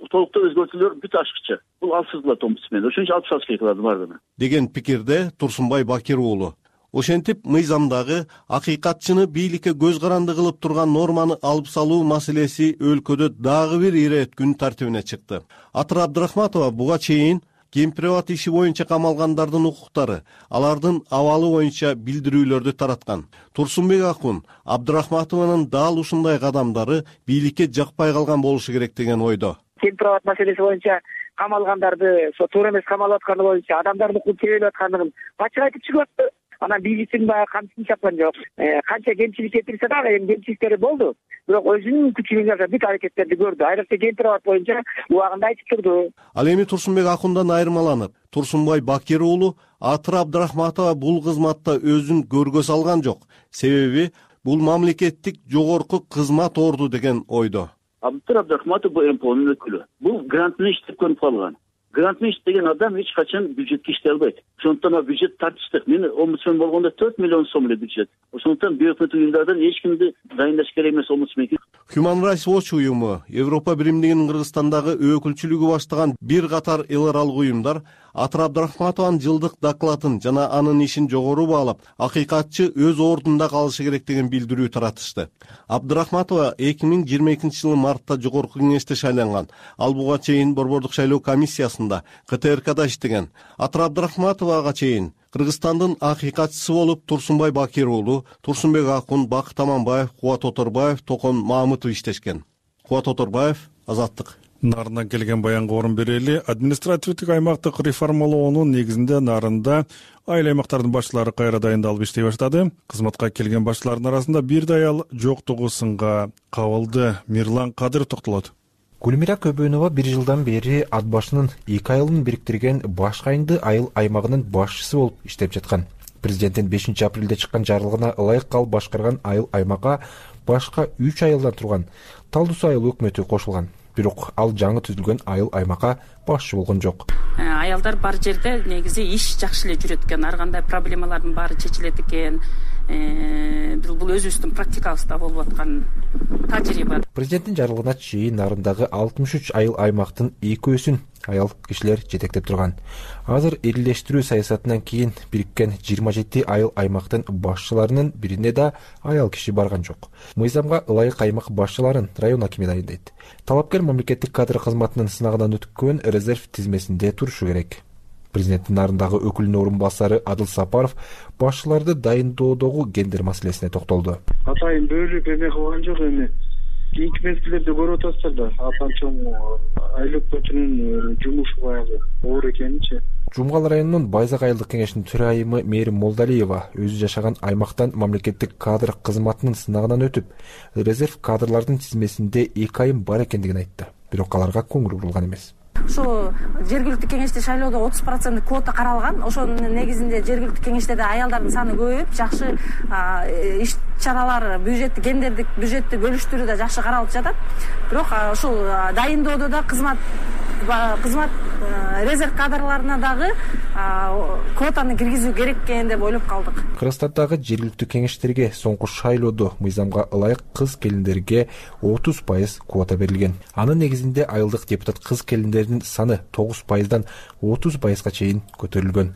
Speaker 17: толуктоо өзгөртүүлөр бүт ашыкча. Бул алсыз кылат омбудсмен. Ошон үчүн алып салыш керек аларды баардыгын.
Speaker 16: Деген пикирде Турсунбай Бакир уулу. Ошентип мыйзамдагы акыйкатчыны бийликке көз каранды кылып турган норманы алып салуу маселеси өлкөдө дагы бир ирет күн тартибине чыкты. Атыр Абдрахматова буга чейин кемпирабад иши боюнча камалгандардын укуктары, алардын абалы боюнча билдирүүлөрдү тараткан. Турсунбек Акун Абдрахматованын дал ушундай кадамдары бийликке жакпай калган болушу керек деген ойдо.
Speaker 18: Кемпирабад маселеси боюнча камалгандарды, туура эмес камалып атканы боюнча адамдардын укугун тебелеп аткандыгын ачык айтып чыгып атты. Анан бийликтин баягы камчысын чапкан жок. Канча кемчилик кетирсе дагы эми кемчиликтери болду. Бирок өзүнүн күчү менен бүт аракеттерди көрдү. Айрыкча кемпирабад боюнча убагында айтып турду.
Speaker 16: Ал эми Турсунбек Акундан айырмаланып, Турсунбай Бакир уулу Атыр Абдрахматова бул кызматта өзүн көргө салган жок. Себеби бул мамлекеттик жогорку кызмат орду деген ойдо.
Speaker 17: Атыр Абдрахматов бул МПОнун өкүлү. Бул грант менен иштеп көрүп калган. Грант менен иштеген адам эч качан бюджетке иштей албайт. Ошондуктан бюджет тартыштык. Мен омбудсмен болгондо 4 миллион сом эле бюджет. Ошондуктан бюджеттик уюмдардан эч кимди дайындаш керек эмес омбудсмен.
Speaker 16: Human Rights Watch уюму, Европа биримдигинин Кыргызстандагы өкүлчүлүгү баштаган бир катар эл аралык уюмдар Атыр Абдрахматованын жылдык докладын жана анын ишин жогору баалап, акыйкатчы өз ордунда калышы керек деген билдирүү таратышты. Абдрахматова 2022 жылы мартта жогорку кеңеште шайланган. Ал буга чейин Борбордук шайлоо комиссиясында КТРКда иштеген. Атыр Абдрахматовага чейин Кыргызстандын акыйкатчысы болуп Турсунбай Бакир уулу, Турсунбек Акун, Бакыт Аманбаев, Кубат Оторбаев, Токон Маамытов иштешкен. Кубат Оторбаев, Азаттык.
Speaker 1: Нарындан келген баянга орун берели. Административдик аймактык реформалоонун негизинде Нарында айыл аймактардын башчылары кайра дайындалып иштей баштады. Кызматка келген башчылардын арасында бир да аял жоктугу сынга кабылды. Мирлан Кадыров токтолот.
Speaker 19: Гүлмира Көбөнова 1 жылдан бери ат башынын 2 айылын бириктирген Башкайынды айыл аймагынын башчысы болуп иштеп жаткан. Президенттин 5 апрелде чыккан жарлыгына ылайык калып башкарган айыл аймакка башка 3 айылдан турган Талдус айыл өкмөтү кошулган. Бирок ал жаңы түзүлгөн айыл аймакка башчы болгон жок.
Speaker 20: Аялдар бар жерде негизи иш жакшы эле жүрөт экен, ар кандай проблемалардын баары чечилет экен. Бул өзүбүздүн практикабызда болуп аткан тажрыйба.
Speaker 19: Президенттин жарлыгына чейин Нарындагы 63 айыл аймактын 2/3-ün аял кишилер жетектеп турган. Азыр эрилештирүү саясатынан кийин бириккен 27 айыл аймактын башчыларынын бирине да аял киши барган жок. Мыйзамга ылайык аймак башчыларын район акими дайындайт. Талапкер мамлекеттик кадр кызматынын сынагынан өткөн резерв тизмесинде турушу керек. Президенттин Нарындагы өкүлүнүн орун басары Адыл Сапаров башчыларды дайындоодогу гендер маселесине токтолду.
Speaker 21: Атайын бөлүп эме кылган жок эми. Кийинки мезгилдерде көрүп атасыздар да, атанчоң айыл өкмөтүнүн жумушу баягы оор экенинчи.
Speaker 19: Жумгал районунун Байзак айылдык кеңешинин төрайымы Мээрим Молдалиева өзү жашаган аймактан мамлекеттик кадр кызматынын сынагынан өтүп, резерв кадрлардын тизмесинде 2 айым бар экендигин айтты. Бирок аларга көңүл бурулган эмес.
Speaker 4: Ошо жергиликтүү кеңеште шайлоодо 30% квота каралган. Ошонун негизинде жергиликтүү кеңештерде аялдардын саны көбөйүп, жакшы иш чаралар, бюджетти, гендердик бюджетти бөлүштүрүүдө жакшы каралып жатат. Бирок ушул дайындоодо да кызмат резерв кадрларына дагы квотаны киргизүү керек экен деп ойлоп калдык.
Speaker 19: Кыргызстандагы жергиликтүү кеңештерге соңку шайлоодо мыйзамга ылайык кыз келиндерге 30% квота берилген. Анын негизинде айылдык депутат кыз келиндердин саны 9%дан 30%га чейин көтөрүлгөн.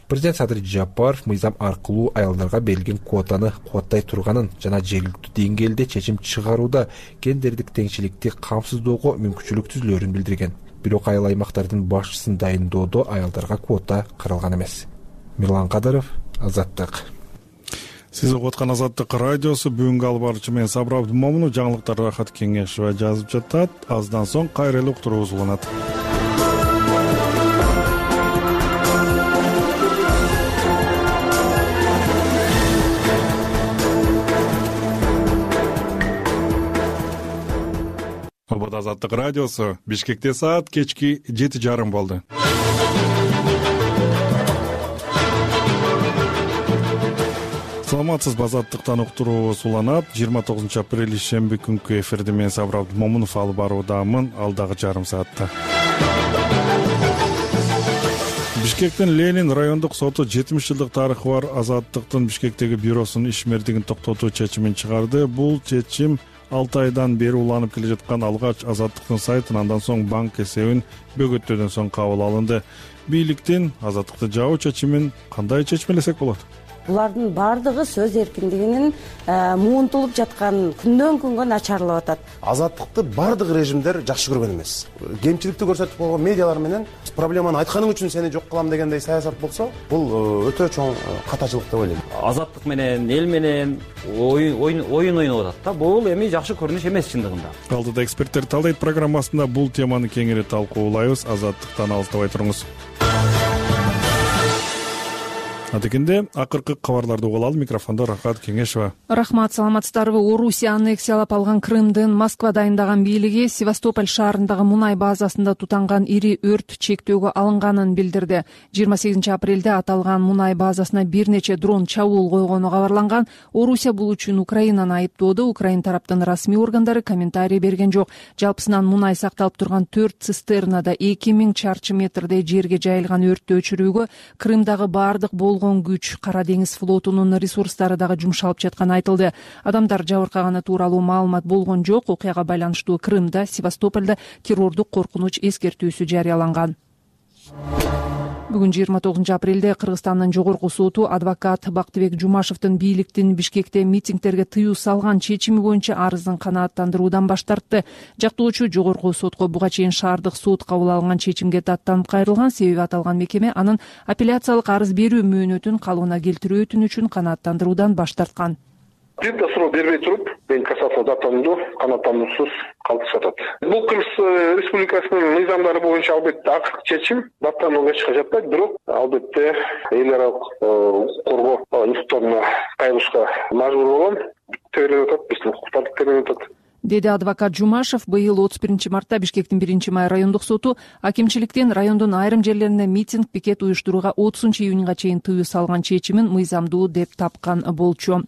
Speaker 19: Президент Садыр Жапаров мыйзам аркылуу аялдарга берилген квотаны кубаттай турганын жана жергиликтүү деңгээлде чечим чыгарууда гендердик теңчиликти камсыздоого мүмкүнчүлүк түзүлөрүн билдирген. Бирок айыл аймактардын башчысын дайындоодо аялдарга квота каралган эмес. Мирлан Кадыров, Азаттык.
Speaker 1: Сиз угуп аткан Азаттык радиосу. Бүгүнкү алып баруучу мен Сабыр Абдымомунов. Жаңылыктар Рахат Кеңешова жазып жатат. Аздан соң кайрылуу уктуруубуз уланат. Азаттык радиосу. Бишкекте саат кечки 7:30 болду. Саламатсызбы, Азаттыктан уктуруубуз уланат. 29 апрель шемби күнкү эфирди мен Сабыр Абдымомунов алып баруудамын алдагы жарым саатта. Бишкектин Ленин райондук соту 70 жылдык тарыхы бар Азаттыктын Бишкектеги бюросунун ишмердигин токтотуу чечимин чыгарды. Бул чечим 6 айдан бери уланып келе жаткан алгач Азаттыктын сайтын, андан соң банк эсебин бөгөттөөдөн соң кабыл алынды. Бийликтин Азаттыкты жабуу чечимин кандай чечмелесек болот?
Speaker 6: Булардын баардыгы сөз эркиндигинин муунтулуп жаткан күндөн күнгө начарлап атат.
Speaker 22: Азаттыкты баардык режимдер жакшы көргөн эмес. Кемчиликти көрсөтүп койгон медиалар менен проблеманы айтканың үчүн сени жок кылам дегендей саясат болсо, бул өтө чоң катачылык деп ойлойм.
Speaker 23: Азаттык менен эл менен оюн ойноп атат да. Бул эми жакшы көрүнүш эмес чындыгында.
Speaker 1: Алдыда эксперттер талдайт программасында бул теманы кеңири талкуулайбыз. Азаттыктан алыстабай туруңуз. Адекенде акыркы кабарларды угуп алалы. Микрофондо Рахат Кеңешова.
Speaker 5: Рахмат, саламатсыздарбы. Орусия аннексиялап алган Крымдын Москва дайындаган бийлиги Севастополь шаарындагы мунай базасында тутанган ири өрт чектөөгө алынганын билдирди. 28 апрелде аталган мунай базасына бир нече дрон чабуул койгону кабарланган. Орусия бул үчүн Украинаны айыптоодо. Украин тараптын расмий органдары комментарий берген жок. Жалпысынан мунай сакталып турган 4 цистернада 2000 чарчы метрдей жерге жайылган өрттү өчүрүүгө Крымдагы баардык болгон күч Кара деңиз флотунун ресурстары дагы жумшалып жатканы айтылды. Адамдар жабыркаганы тууралуу маалымат болгон жок. Окуяга байланыштуу Крымда, Севастопольдо террордук коркунуч эскертүүсү жарыяланган. Бүгүн 29 апрелде Кыргызстандын жогорку соту адвокат Бактыбек Жумашевдин бийликтин Бишкекте митингтерге тыюу салган чечими боюнча арызын канааттандыруудан баш тартты. Жактоочу жогорку сотко буга чейин шаардык сот кабыл алган чечимге даттанып кайрылган. Себеби аталган мекеме анын апелляциялык арыз берүү мөөнөтүн калыбына келтирүү өтүнүчүн канааттандыруудан баш тарткан.
Speaker 24: Бир суроо бербей туруп, мен кассация даттанууну канааттандыруусуз калтырышып атат. Бул Кыргыз Республикасынын мыйзамдары боюнча албетте акыркы чечим даттанууга эч качан жатпайт, бирок албетте эл аралык коргоо институттарына кайрылышка мажбур болгон. Терип атат, биздин укуктарды терип атат.
Speaker 5: Деди адвокат Жумашев. Быйыл 31 мартта Бишкектин 1-май райондук соту акимчиликтин райондун айрым жерлеринде митинг, пикет уюштурууга 30-июнга чейин тыюу салган чечимин мыйзамдуу деп тапкан болчу.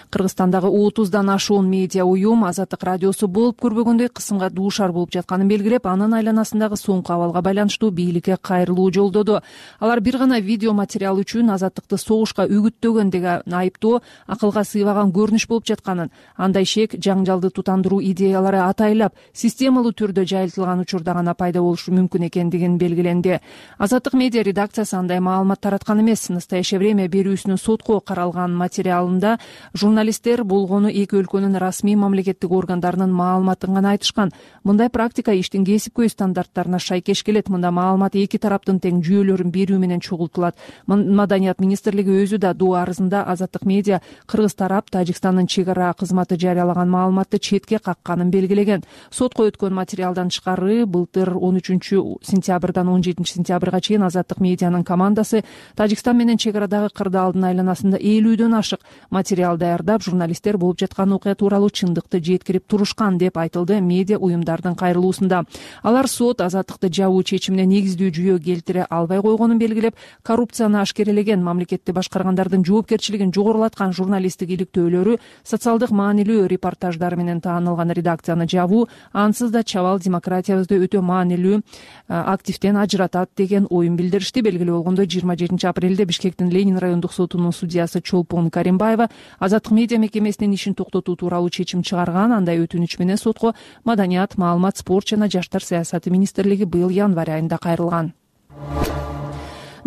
Speaker 5: Кыргызстандагы 30дан ашуун медиа уюм Азаттык радиосу болуп көрбөгөндөй кысымга дуушар болуп жатканын белгилеп, анын айланасындагы соңку абалга байланыштуу бийликке кайрылуу жолдоду. Алар бир гана видео материал үчүн Азаттыкты согушка үгүттөгөн деген айыптоо акылга сыйбаган көрүнүш болуп жатканын, андай шек жаңжалды тутандыруу идеялары атайлап системалуу түрдө жайылтылган учурда гана пайда болушу мүмкүн экендигин белгиленди. Азаттык медиа редакциясы андай маалымат тараткан эмес. Настоящее время берүүсүнүн сотко каралган материалында журналисттер болгону эки өлкөнүн расмий мамлекеттик органдарынын маалыматын гана айтышкан. Мындай практика иштин кесипкөй стандарттарына шайкеш келет. Мында маалымат эки тараптын тең жүйөлөрүн берүү менен чогултулат. Маданият министрлиги өзү да доо арызында Азаттык медиа кыргыз тарап Тажикстандын чек ара кызматы жарыялаган маалыматты четке какканын белгилеген. Сотко өткөн материалдан тышкары былтыр 13-сентябрдан 17-сентябрга чейин Азаттык медианын командасы Тажикстан менен чек арадагы кырдаалдын айланасында 50дөн ашык материал даярдап, журналисттер болуп жаткан окуя тууралуу чындыкты жеткирип турушкан деп айтылды медиа уюмдардын кайрылуусунда. Алар сот Азаттыкты жабуу чечимине негиздүү жүйө келтире албай койгонун белгилеп, коррупцияны ашкерелеген, мамлекетти башкаргандардын жоопкерчилигин жогорулаткан журналисттик иликтөөлөрү социалдык маанилүү репортаждар менен таанылган. арналган редакцияны жабуу ансыз да чабал демократиябызды өтө маанилүү активден ажыратат деген оюн билдиришти. Белгилүү болгондой 27 апрелде Бишкектин Ленин райондук сотунун судьясы Чолпон Каримбаева Азаттык медиа мекемесинин ишин токтотуу тууралуу чечим чыгарган. Андай өтүнүч менен сотко Маданият, маалымат, спорт жана жаштар саясаты министрлиги быйыл январь айында кайрылган.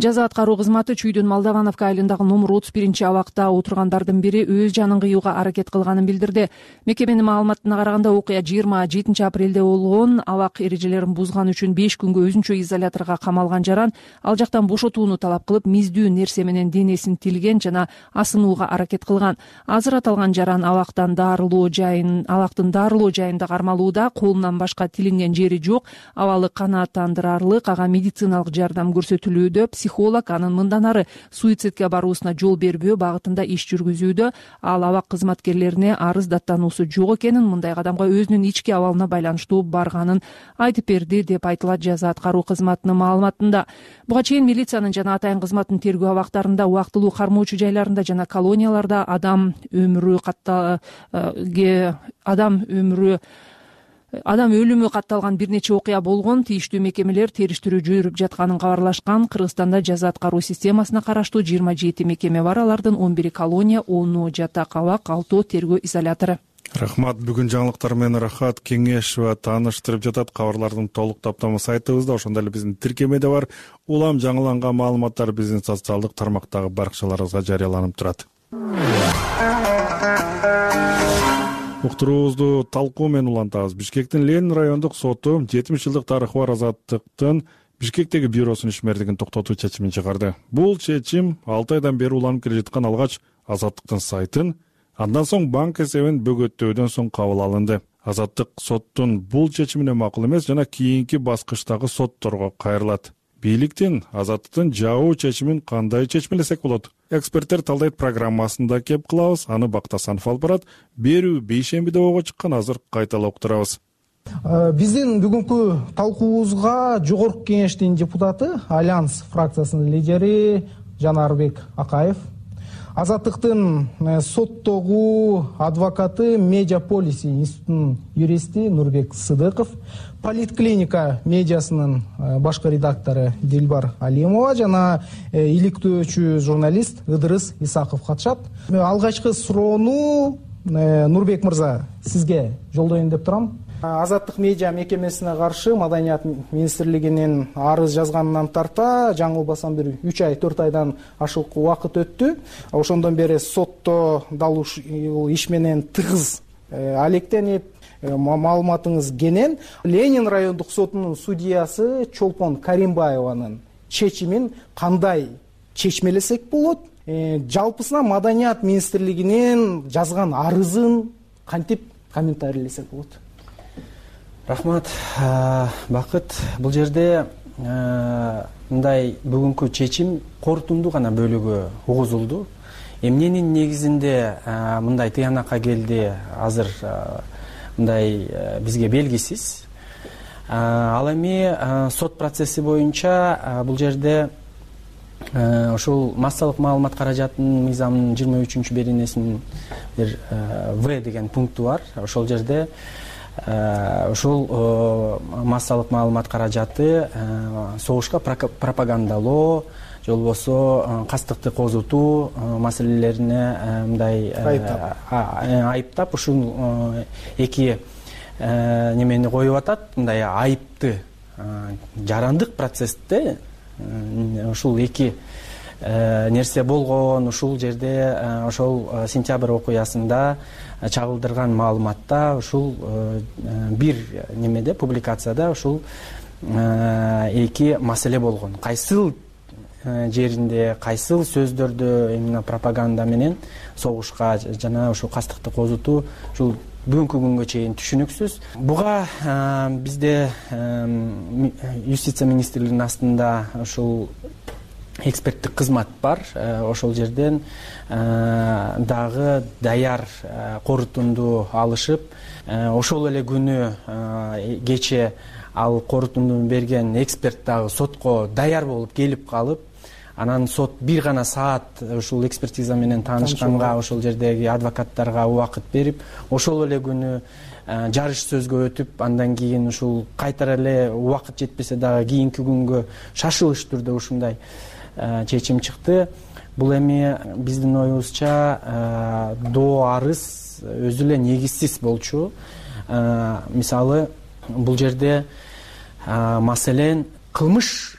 Speaker 5: Жаза аткаруу кызматы Чүйдүн Молдовановка айылындагы номер 31 абакта отургандардын бири өз жанын кыюуга аракет кылганын билдирди. Мекеменин маалыматына караганда окуя 27 апрелде болгон. Абак эрежелерин бузган үчүн 5 күнгө өзүнчө изоляторго камалган жаран ал жактан бошотууну талап кылып, миздүү нерсе менен денесин тилген жана асынууга аракет кылган. Азыр аталган жаран абактын дарылоо жайында кармалууда. Колунан башка тилинген жери жок. Абалы канааттандырарлык, ага медициналык жардам көрсөтүлүүдө. Психолог анын мындан ары суицидке баруусуна жол бербөө багытында иш жүргүзүүдө. Ал абак кызматкерлерине арыз даттануусу жок экенин, мындай кадамга өзүнүн ички абалына байланыштуу барганын айтып берди деп айтылат жаза аткаруу кызматынын маалыматында. Буга чейин милициянын жана атайын кызматтын тергөө абактарында, убактылуу кармоочу жайларында жана колонияларда адам өлүмү катталган бир нече окуя болгон. Тийиштүү мекемелер териштирүү жүрүп жатканын кабарлашкан. Кыргызстанда жаза аткаруу системасына караштуу 27 мекеме бар. Алардын 11 колония, 10 жатак абак, 6 тергөө изолятору.
Speaker 1: Рахмат. Бүгүн жаңылыктар менен Рахат Кеңешова тааныштырып жатат. Кабарлардын толук таптамы сайтыбызда, ошондой эле биздин тиркемеде бар. Улам жаңыланган маалыматтар биздин социалдык тармактагы баракчаларыбызга жарыяланып турат. Уктуруубузду талкуу менен улантабыз. Бишкектин Ленин райондук соту 70 жылдык тарыхы бар Азаттыктын Бишкектеги бюросунун ишмердигин токтотуу чечимин чыгарды. Бул чечим 6 айдан бери уланып келе жаткан алгач Азаттыктын сайтын, андан соң банк эсебин бөгөттөөдөн соң кабыл алынды. Азаттык соттун бул чечимине макул эмес жана кийинки баскычтагы сотторго кайрылат. Бийликтин Азаттыктын жабуу чечимин кандай чечмелесек болот? Эксперттер талдайт программасында кеп кылабыз. Аны Бактасанов алып барат. Берүү бейшембиде ого чыккан, азыр кайталап турабыз.
Speaker 2: Биздин бүгүнкү талкуубузга Жогорку Кеңештин депутаты, Альянс фракциясынын лидери Жанарбек Акаев, Азаттыктын соттогу адвокаты, Медиаполис институтунун юристи Нурбек Сыдыков, Политклиника медиасынын башкы редактору Дилбар Алимова жана иликтөөчү журналист Ыдырыс Исаков катышат. Алгачкы суроону Нурбек мырза сизге жолдоюн деп турам. Азаттык медиа мекемесине каршы Маданият министрлигинин арыз жазганынан тарта жаңылбасам бир 3 ай 4 айдан ашык убакыт өттү. Ошондон бери сотто дал иш менен тыгыз алектенип, маалыматыңыз кенен. Ленин райондук сотунун судьясы Чолпон Каримбаеванын чечимин кандай чечмелесек болот? Жалпысына Маданият министрлигинин жазган арызын кантип комментарийлесек болот?
Speaker 7: Рахмат, Бакыт. Бул жерде мындай бүгүнкү чечим корутундуу гана бөлүгү угузулду. Эмненин негизинде мындай тыянакка келди, азыр мындай бизге белгисиз. Ал эми сот процесси боюнча бул жерде ошол массалык маалымат каражатынын мыйзамынын 23 беренесинин бир В деген пункту бар. Ошол жерде ушул массалык маалымат каражаты согушка пропагандалоо же болбосо кастыкты козутуу маселелерине мындай айыптап ушул эки немени коюп атат. Мындай айыпты жарандык процессте ушул эки нерсе болгон. Ушул жерде ошол сентябрь окуясында чагылдырган маалыматта ушул бир немеде публикацияда ушул эки маселе болгон. Кайсыл жеринде, кайсыл сөздөрдө именно пропаганда менен согушка жана ушул кастыкты козутуу ушул бүгүнкү күнгө чейин түшүнүксүз. Буга бизде юстиция министрлигинин астында ушул эксперттик кызмат бар. Ошол жерден дагы даяр корутунду алышып, ошол эле күнү кече ал корутундуну берген эксперт дагы сотко даяр болуп келип калып, анан сот бир гана саат ушул экспертиза менен таанышканга ошол жердеги адвокаттарга убакыт берип, ошол эле күнү жарыш сөзгө өтүп, андан кийин ушул кайтара эле убакыт жетпесе дагы кийинки күнгө шашылыш түрдө ушундай чечим чыкты. Бул эми биздин оюбузча доо арыз өзү эле негизсиз болчу. Мисалы, бул жерде маселен кылмыш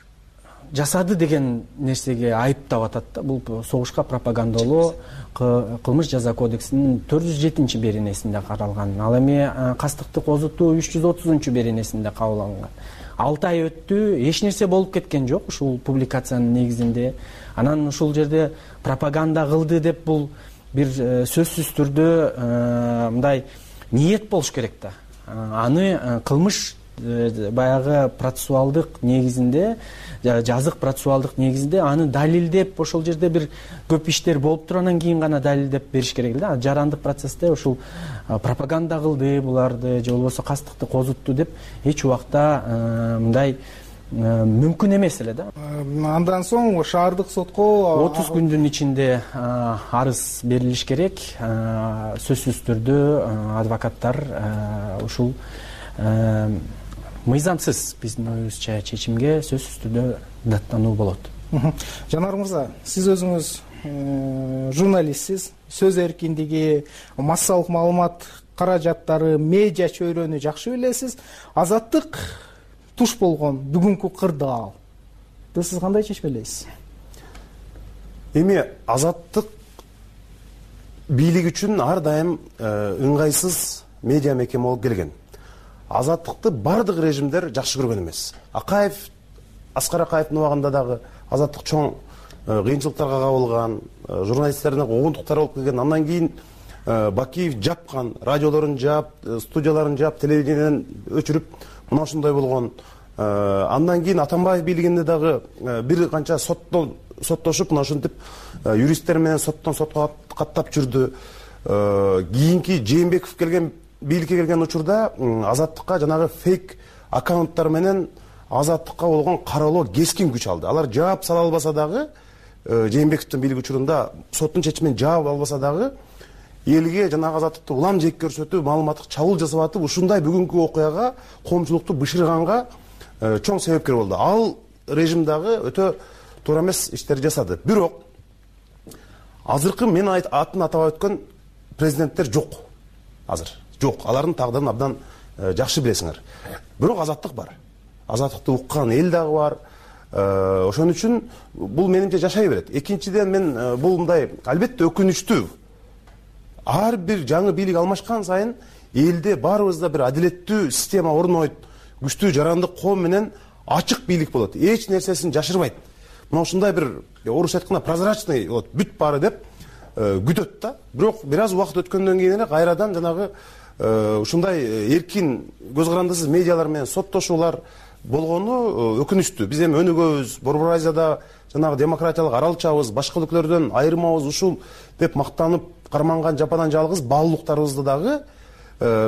Speaker 7: жасады деген нерсеге айыптап атат да. Бул согушка пропагандалоо кылмыш жаза кодексинин 407-беренесинде каралган. Ал эми кастыкты козутуу 330-беренесинде кабыл алынган. 6 ай өттү, эч нерсе болуп кеткен жок ушул публикациянын негизинде. Анан ушул жерде пропаганда кылды деп бул бир сөзсүз түрдө мындай ниет болуш керек да. Аны кылмыш баягы процессуалдык негизинде, жазык процессуалдык негизинде аны далилдеп, ошол жерде бир көп иштер болуп туруп анан кийин гана далилдеп бериш керек да. Жарандык процессте ушул пропаганда кылды буларды же болбосо кастыкты козутту деп эч убакта мындай мүмкүн эмес эле да.
Speaker 2: Андан соң шаардык сотко
Speaker 7: 30 күндүн ичинде арыз берилиш керек. Сөзсүз түрдө адвокаттар ушул мыйзамсыз биздин оюбузча чечимге сөзсүз түрдө даттануу болот.
Speaker 2: Жанар мырза, сиз өзүңүз журналистсиз, сөз эркиндиги, массалык маалымат каражаттары, медиа чөйрөнү жакшы билесиз. Азаттык туш болгон бүгүнкү кырдаалды сиз кандай чечмелейсиз?
Speaker 22: Эми азаттык бийлик үчүн ар дайым ыңгайсыз медиа мекеме болуп келген. Азаттыкты бардык режимдер жакшы көргөн эмес. Аскар Акаевдин убагында дагы азаттык чоң кыйынчылыктарга кабылган, журналисттердин огондуктары болуп келген. Андан кийин Бакиев жапкан, радиолорун жаап, студияларын жаап, телевидениеден өчүрүп, мына ушундай болгон. Андан кийин Атамбаев бийлигинде дагы бир канча соттошуп, мына ушинтип юристтер менен соттон сотко каттап жүрдү. Кийинки Жээнбеков бийликке келген учурда азаттыкка жанагы фейк аккаунттар менен азаттыкка болгон кароолоо кескин күч алды. Алар жаап сала албаса дагы, Жээнбековдун бийлик учурунда соттун чечимин жаап албаса дагы, элге жанагы азаттыкты улам жек көрсөтүү, маалыматтык чабуул жасап атып, ушундай бүгүнкү окуяга, коомчулукту бышырганга чоң себепкер болду. Ал режим дагы өтө туура эмес иштерди жасады. Бирок азыркы мен атын атабай өткөн президенттер жок. Азыр жок. Алардын тагдырын абдан жакшы билесиңер. Бирок азаттык бар. Азаттыкты уккан эл дагы бар. Ошон үчүн бул менимче жашай берет. Экинчиден мен бул мындай албетте өкүнүчтүү. Ар бир жаңы бийлик алмашкан сайын элде баарыбызда бир адилеттүү система орнойт. Күчтүү жарандык коом менен ачык бийлик болот. Эч нерсесин жашырбайт. Мына ушундай бир орусча айтканда прозрачный болот, бүт баары деп күтөт да. Бирок бир аз убакыт өткөндөн кийин эле кайрадан жанагы ушундай эркин көз карандысыз медиалар менен соттошуулар болгону өкүнүчтүү. Биз эми өнүгөбүз, Борбор Азияда жанагы демократиялык аралчабыз, башка өлкөлөрдөн айырмабыз ушул деп мактанып карманган жападан жалгыз баалуулуктарыбызды дагы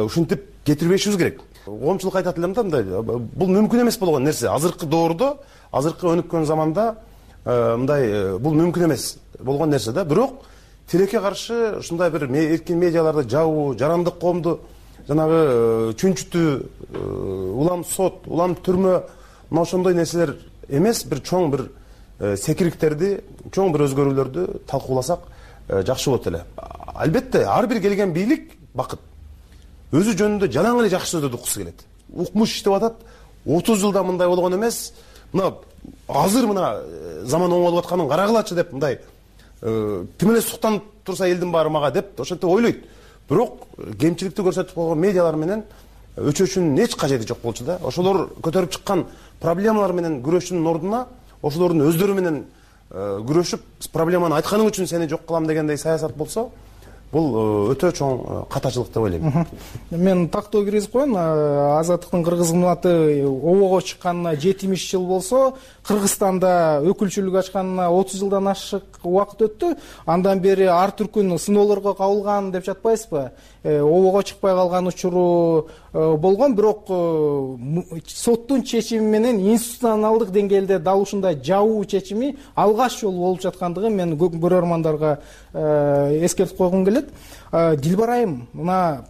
Speaker 22: ушинтип кетирбешибиз керек. Коомчулук айтат элем да, мындай бул мүмкүн эмес болгон нерсе. Азыркы доордо, азыркы өнүккөн заманда мындай бул мүмкүн эмес болгон нерсе да. Бирок тилекке каршы ушундай бир эркин медиаларды жабуу, жарандык коомду жанагы чүнчүтүү, улам сот, улам түрмө, мына ошондой нерселер эмес, бир чоң бир секириктерди, чоң бир өзгөрүүлөрдү талкууласак жакшы болот эле. Албетте ар бир келген бийлик бакыт өзү жөнүндө жалаң эле жакшы сөздөрдү уккусу келет. Укмуш иштеп атат. 30 жылда мындай болгон эмес. Мына азыр мына заман оңолуп атканын карагылачы деп мындай ким эле суктанып турса элдин баары мага деп ошентип ойлойт. Бирок кемчиликти көрсөтүп койгон медиалар менен өчөчүнүн эч кажети жок болчу да. Ошолор көтөрүп чыккан проблемалар менен күрөшүүнүн ордуна ошолордун өздөрү менен күрөшүп, проблеманы айтканың үчүн сени жок кылам дегендей саясат болсо, бул өтө чоң катачылык деп ойлойм.
Speaker 2: Мен тактоо киргизип коеюн. Азаттыктын кыргыз кызматы обого чыкканына 70 жыл болсо, Кыргызстанда өкүлчүлүк ачканына 30 жылдан ашык убакыт өттү. Андан бери ар түркүн сыноолорго кабылган деп жатпайсызбы? Обого чыкпай калган учуру болгон, бирок соттун чечими менен институционалдык деңгээлде дал ушундай жабуу чечими алгач жолу болуп жаткандыгын мен көрөрмандарга эскертип койгум келет. Дилбар айым, мына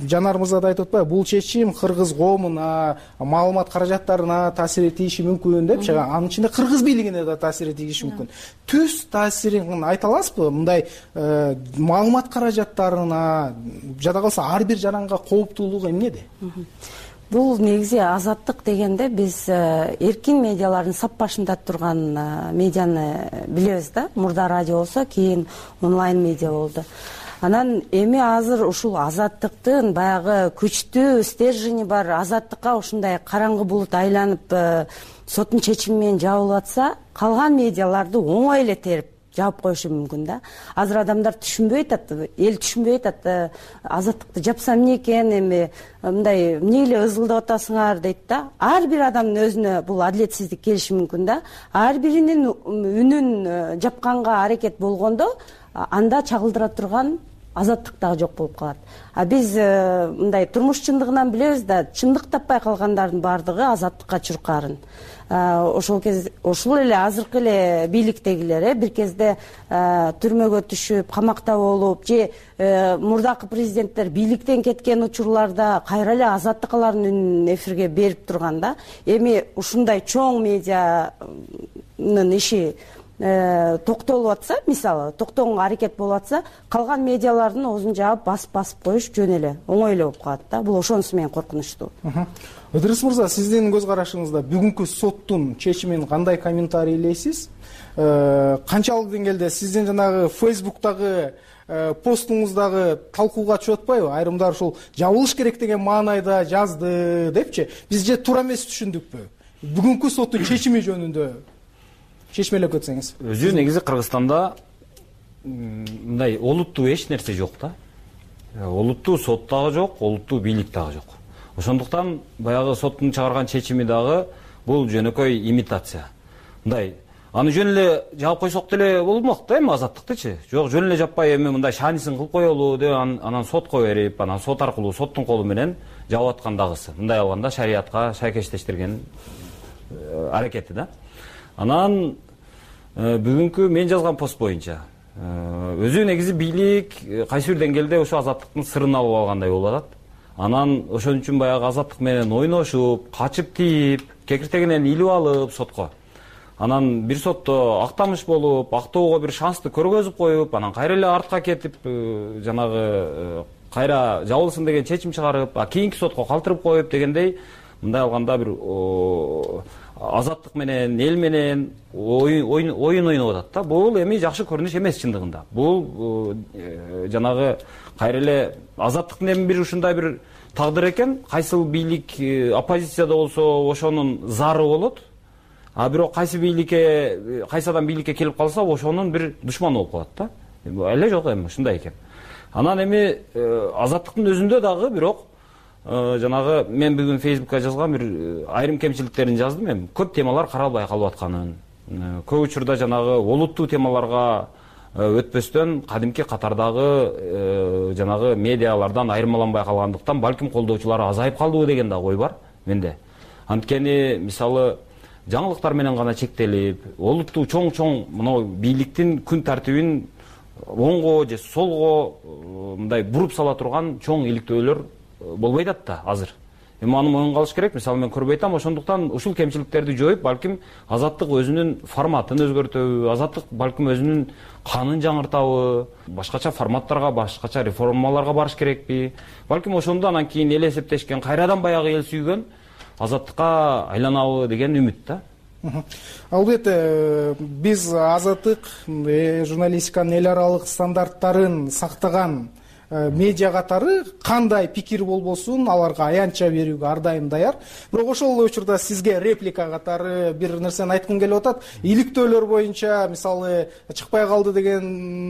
Speaker 2: Жанар мырза да айтып атпайбы, бул чечим кыргыз коомуна, маалымат каражаттарына таасир тийиши мүмкүн депчи. Анын ичинде кыргыз бийлигине да таасир тийиши мүмкүн. Түз таасирин айта аласызбы? Мындай маалымат каражаттарына жада калса ар бир жаранга кооптуулугу эмнеде?
Speaker 6: Бул негизи азаттык дегенде биз эркин медиалардын сап башында турган медианы билебиз да. Мурда радио болсо, кийин онлайн медиа болду. Анан эми азыр ушул азаттыктын баягы күчтүү стержени бар азаттыкка ушундай караңгы булут айланып соттун чечими менен жабылып атса, калган медиаларды оңой эле терип жаап коюшу мүмкүн да. Азыр адамдар түшүнбөй атат, эл түшүнбөй атат, азаттыкты жапса эмне экен, эми мындай эмне эле ызылдап атасыңар дейт да. Ар бир адамдын өзүнө бул адилетсиздик келиши мүмкүн да. Ар биринин үнүн жапканга аракет болгондо анда чагылдыра турган азаттык дагы жок болуп калат. Биз мындай турмуш чындыгынан билебиз да, чындык таппай калгандардын баардыгы азаттыкка чуркаарын. Ошол эле азыркы эле бийликтегилер бир кезде түрмөгө түшүп, камакта болуп, же мурдакы президенттер бийликтен кеткен учурларда кайра эле азаттык алардын үнүн эфирге берип турган да. Эми ушундай чоң медианын иши токтолуп атса, мисалы, токтогонго аракет болуп атса, калган медиалардын оозун жаап басып коюш жөн эле, оңой эле болуп калат да. Бул ошонусу менен коркунучтуу.
Speaker 2: Ыдырыс мырза, сиздин көз карашыңызда бүгүнкү соттун чечимин кандай комментарийлейсиз? Канчалык деңгээлде сиздин жанагы Facebook'тагы постуңуздагы талкууга чыгып атпайбы? Айрымдар ушул жабылыш керек деген маанайда жазды депчи. Биз же туура эмес түшүндүкпү? Бүгүнкү соттун чечими жөнүндө чечмелеп кетсеңиз.
Speaker 23: Өзү негизи Кыргызстанда мындай олуттуу эч нерсе жок да. Олуттуу сот дагы жок, олуттуу бийлик дагы жок. Ошондуктан баягы соттун чыгарган чечими дагы бул жөнөкөй имитация. Мындай аны жөн эле жаап койсок деле болмок да, эми азаттыктычы. Жок, жөн эле жаппай эми мындай шаанисин кылып коелу деп анан сотко берип, анан сот аркылуу соттун колу менен жаап аткан дагысы. Мындай алганда шариятка шайкештештирген аракети да. Анан бүгүнкү мен жазган пост боюнча өзү негизи бийлик кайсы бир деңгээлде ошо азаттыктын сырын алып алгандай болуп атат. Анан ошон үчүн баягы азаттык менен ойношуп, качып тийип, кекиртегинен илип алып сотко. Анан бир сотто актамыш болуп, актоого бир шансты көргөзүп коюп, анан кайра эле артка кетип, жанагы кайра жабылсын деген чечим чыгарып, кийинки сотко калтырып коюп дегендей, мындай алганда бир азаттык менен, эл менен оюн ойноп атат да. Бул эми жакшы көрүнүш эмес чындыгында. Бул жанагы кайра эле азаттыктын эми бир ушундай бир тагдыр экен. Кайсыл бийлик оппозицияда болсо ошонун зары болот. А бирок кайсы адам бийликке келип калса ошонун бир душманы болуп калат да. Эле жок эми ушундай экен. Анан эми азаттыктын өзүндө дагы бирок жанагы мен бүгүн Facebook'ка жазган бир айрым кемчиликтерин жаздым. Эми көп темалар каралбай калып атканын, көп учурда жанагы олуттуу темаларга өтпөстөн кадимки катардагы жанагы медиалардан айырмаланбай калгандыктан балким колдоочулар азайып калдыбы деген да ой бар менде. Анткени мисалы жаңылыктар менен гана чектелип, олуттуу чоң мына бийликтин күн тартибин оңго же солго мындай буруп сала турган чоң иликтөөлөр болбой атат да азыр. Эми аны моюнга алыш керек. Мисалы мен көрбөй атам, ошондуктан ушул кемчиликтерди жоюп, балким азаттык өзүнүн форматын өзгөртөбү, азаттык балким өзүнүн канын жаңыртабы, башкача форматтарга, башкача реформаларга барыш керекпи? Балким ошондо анан кийин эл эсептешкен, кайрадан баягы эл сүйгөн азаттыкка айланабы деген үмүт да.
Speaker 2: Албетте биз азаттык журналистиканын эл аралык стандарттарын сактаган медиа катары кандай пикир болбосун аларга аянтча берүүгө ар дайым даяр. Бирок ошол учурда сизге реплика катары бир нерсени айткым келип атат. Иликтөөлөр боюнча мисалы чыкпай калды деген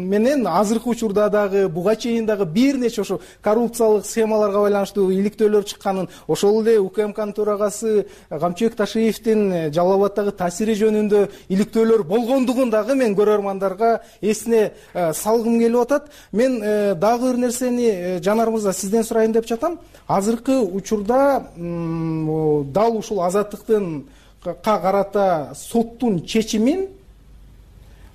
Speaker 2: менен азыркы учурда дагы буга чейин дагы бир нече ошо коррупциялык схемаларга байланыштуу иликтөөлөр чыкканын, ошол эле УКМКнын төрагасы Камчыбек Ташиевдин Жалал Абаддагы таасири жөнүндө иликтөөлөр болгондугун дагы мен көрөрмандарга эсине салгым келип атат. Мен дагы бир нерсени Жанар мырза сизден сурайын деп жатам. Азыркы учурда дал ушул азаттыктын карата соттун чечимин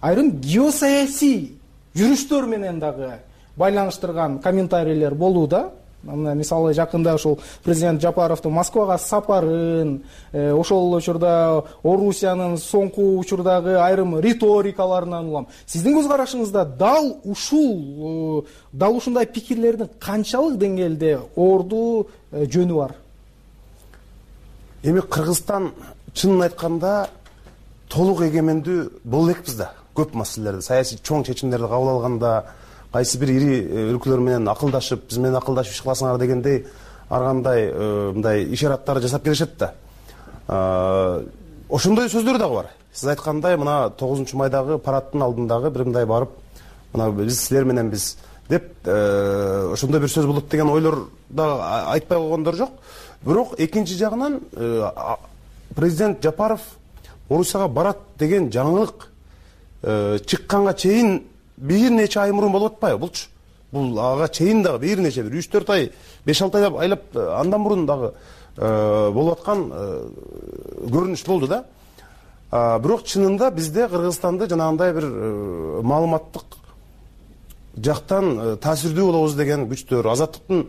Speaker 2: айрым геосаясий жүрүштөр менен дагы байланыштырган комментарийлер болууда. Мисалы жакында ушул президент Жапаровдун Москвага сапарын, ошол эле учурда Орусиянын соңку учурдагы айрым риторикаларынан улам. Сиздин көз карашыңызда дал ушундай пикирлердин канчалык деңгээлде орду жөнү бар?
Speaker 22: Эми Кыргызстан чынын айтканда толук эгемендүү боло элекпиз да. Көп маселелерди, саясий чоң чечимдерди кабыл алганда, кайсы бир ири өлкөлөр менен акылдашып, биз менен акылдашып иш кыласыңар дегендей ар кандай мындай ишараттарды жасап келишет да. Ошондой сөздөр дагы бар. Сиз айткандай, мына 9-майдагы парадтын алдындагы бир мындай барып, мына биз силер менен биз деп ошондой бир сөз болот деген ойлор да айтпай койгондор жок. Бирок экинчи жагынан президент Жапаров Орусияга барат деген жаңылык чыкканга чейин бир нече ай мурун болуп атпайбы булчу? Бул ага чейин дагы бир нече 3-4 ай, 5-6 ай айлап андан мурун дагы болуп аткан көрүнүш болду да. Бирок чынында бизде Кыргызстанды жанагындай бир маалыматтык жактан таасирдүү болобуз деген күчтөр, азаттыктын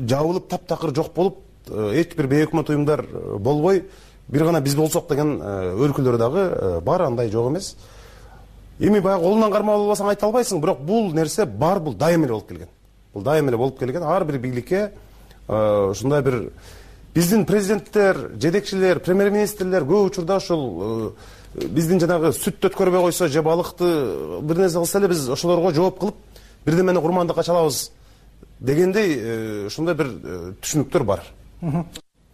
Speaker 22: жабылып таптакыр жок болуп, эч бир бейөкмөт уюмдар болбой, бир гана биз болсок деген өлкөлөр дагы бар, андай жок эмес. Эми баягы колунан кармап албасаң айта албайсың, бирок бул нерсе бар, бул дайым эле болуп келген. Бул дайым эле болуп келген. Ар бир бийликке ушундай бир биздин президенттер, жетекчилер, премьер-министрлер көп учурда ушул биздин жанагы сүттү өткөрбөй койсо же балыкты бир нерсе кылса эле биз ошолорго жооп кылып бирдемени курмандыкка чалабыз дегендей ушундай бир түшүнүктөр бар.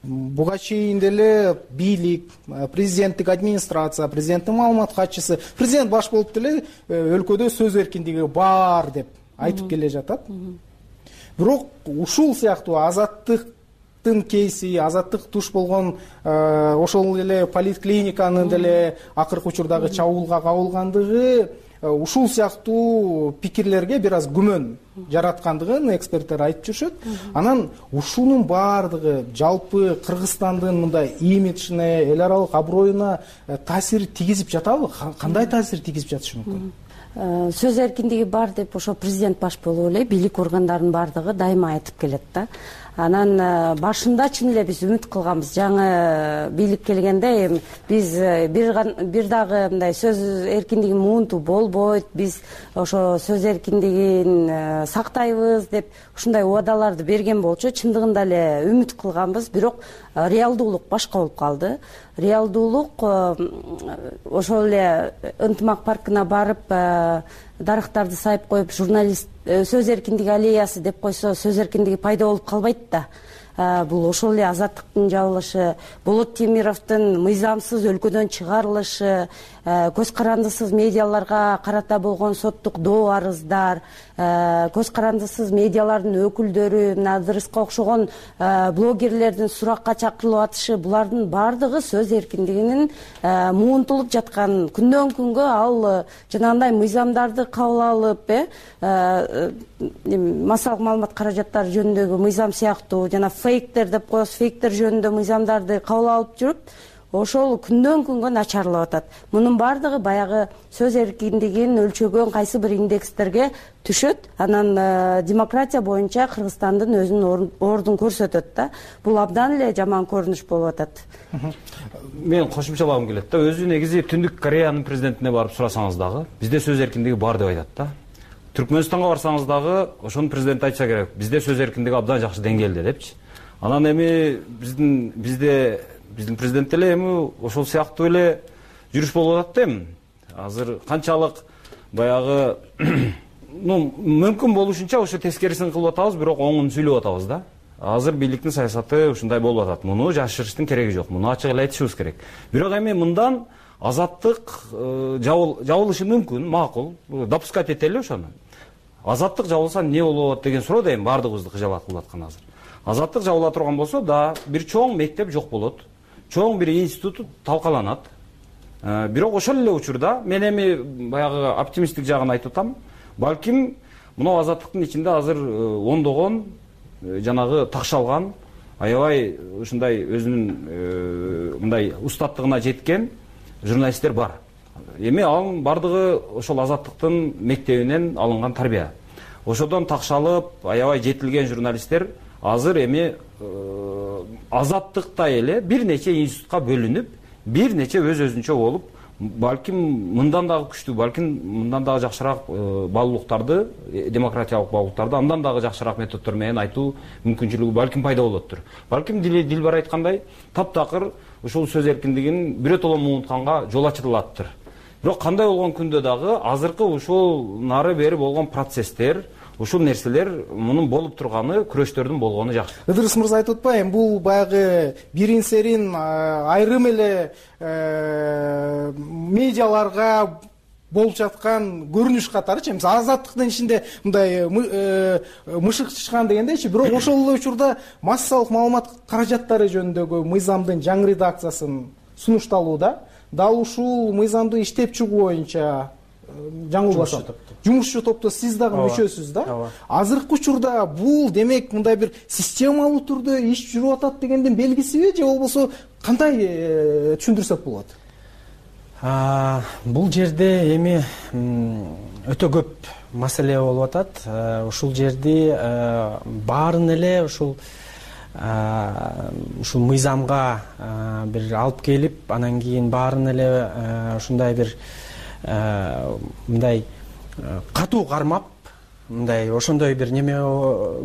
Speaker 2: Буга чейин деле бийлик, президенттик администрация, президенттин маалымат катчысы, президент баш болуп деле өлкөдө сөз эркиндиги бар деп айтып келе жатат. Бирок ушул сыяктуу азаттыктын кейси, азаттык туш болгон ошол эле поликлиниканын деле акыркы учурдагы чабуулга кабылгандыгы ушул сыяктуу пикирлерге бир аз күмөн жараткандыгын эксперттер айтып жүрүшөт. Анан ушунун баардыгы жалпы Кыргызстандын мындай имиджине, эл аралык аброюна таасир тийгизип жатабы? Кандай таасир тийгизип жатышы мүмкүн?
Speaker 6: Сөз эркиндиги бар деп ошо президент баш болуп эле бийлик органдарынын баардыгы дайыма айтып келет да. Анан башында чын эле биз үмүт кылганбыз. Жаңы бийлик келгенде биз бир дагы мындай сөз эркиндиги муунту болбойт, биз ошо сөз эркиндигин сактайбыз деп ушундай убадаларды берген болчу. Чындыгында эле үмүт кылганбыз, бирок реалдуулук башка болуп калды. Реалдуулук ошол эле ынтымак паркына барып дарактарды сайып коюп журналист сөз эркиндиги аллеясы деп койсо сөз эркиндиги пайда болуп калбайт да. Бул ошол эле азаттыктын жабылышы, Болот Темировдун мыйзамсыз өлкөдөн чыгарылышы, көз карандысыз медиаларга карата болгон соттук доо арыздар, көз карандысыз медиалардын өкүлдөрү, Надырыска окшогон блогерлердин суракка чакырылып атышы, булардын баардыгы сөз эркиндигинин муунтулуп жаткан. Күндөн күнгө ал жанагындай мыйзамдарды кабыл алып, массалык маалымат каражаттары жөнүндөгү мыйзам сыяктуу жана фейктер деп коебуз, фейктер жөнүндө мыйзамдарды кабыл алып жүрүп, ошол күндөн күнгө начарлап атат. Мунун баардыгы баягы сөз эркиндигин өлчөгөн кайсы бир индекстерге түшөт. Анан демократия боюнча Кыргызстандын өзүнүн ордун көрсөтөт да. Бул абдан эле жаман көрүнүш болуп атат.
Speaker 23: Мен кошумчалагым келет да. Өзү негизи Түндүк Кореянын президентине барып сурасаңыз дагы, бизде сөз эркиндиги бар деп айтат да. Түркмөнстанга барсаңыз дагы ошонун президенти айтса керек, бизде сөз эркиндиги абдан жакшы деңгээлде депчи. Анан эми биздин президент эле эми ошол сыяктуу эле жүрүш болуп атат да эми. Азыр канчалык баягы мүмкүн болушунча ошо тескерисин кылып атабыз, бирок оңун сүйлөп атабыз да. Азыр бийликтин саясаты ушундай болуп атат. Муну жашырыштын кереги жок. Муну ачык эле айтышыбыз керек. Бирок эми мындан азаттык жабылышы мүмкүн, макул. Допускать этели ошону. Азаттык жабылса эмне болот атат деген суроо да эми баардыгыбызды кыжалат кылып аткан азыр. Азаттык жабыла турган болсо да, бир чоң мектеп жок болот. Чоң бир институт талкаланат. Бирок ошол эле учурда мен эми баягы оптимисттик жагын айтып атам. Балким мына азаттыктын ичинде азыр ондогон жанагы такшалган, аябай ушундай өзүнүн мындай устаттыгына жеткен журналисттер бар. Эми анын бардыгы ошол азаттыктын мектебинен алынган тарбия. ошодон такшалып аябай жетилген журналисттер азыр эми азаттыктай эле бир нече институтка бөлүнүп, бир нече өз өзүнчө болуп, балким мындан дагы күчтүү, балким мындан дагы жакшыраак баалуулуктарды, демократиялык баалуулуктарды андан дагы жакшыраак методдор менен айтуу мүмкүнчүлүгү балким пайда болоттур. Балким Дилбар айткандай, таптакыр ушул сөз эркиндигин бирөтөлө унутканга жол ачылаттыр. Бирок кандай болгон күндө дагы азыркы ушул нары бери болгон процесстер, ушул нерселер мунун болуп турганы, күрөштөрдүн болгону жакшы.
Speaker 2: Ыдырыс мырза айтып атпайбы, бул баягы бирин серин айрым эле медиаларга болуп жаткан көрүнүш катарычы. Мисалы азаттыктын ичинде мындай мышык чычкан дегендейчи, бирок ошол эле учурда массалык маалымат каражаттары жөнүндөгү мыйзамдын жаңы редакциясын сунушталууда, дал ушул мыйзамды иштеп чыгуу боюнча жаңылбасам жумушчу топто сиз дагы мүчөсүз да. Азыркы учурда бул демек мындай бир системалуу түрдө иш жүрүп атат дегендин белгисиби, же болбосо кандай түшүндүрсөк болот?
Speaker 7: Бул жерде эми өтө көп маселе болуп атат. Ушул жерди баарын эле ушул мыйзамга бир алып келип, анан кийин баарын эле ушундай бир мындай катуу кармап, мындай ошондой бир неме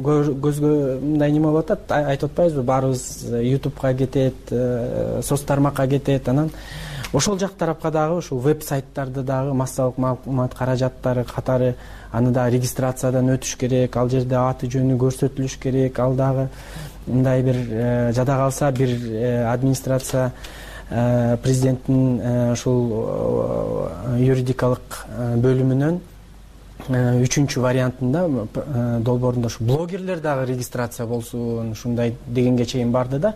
Speaker 7: көзгө мындай неме болуп атат, айтып атпайбызбы, баарыбыз YouTube'га кетет, соц тармакка кетет, анан ошол жак тарапка дагы ушул веб-сайттарды дагы массалык маалымат каражаттары катары аны да регистрациядан өтүш керек, ал жерде аты жөнү көрсөтүлүш керек, ал дагы мындай бир жада калса бир администрация президенттин ушул юридикалык бөлүмүнөн 3-чү вариантында долбоорунда ушу блогерлер дагы регистрация болсун, ушундай дегенге чейин барды да.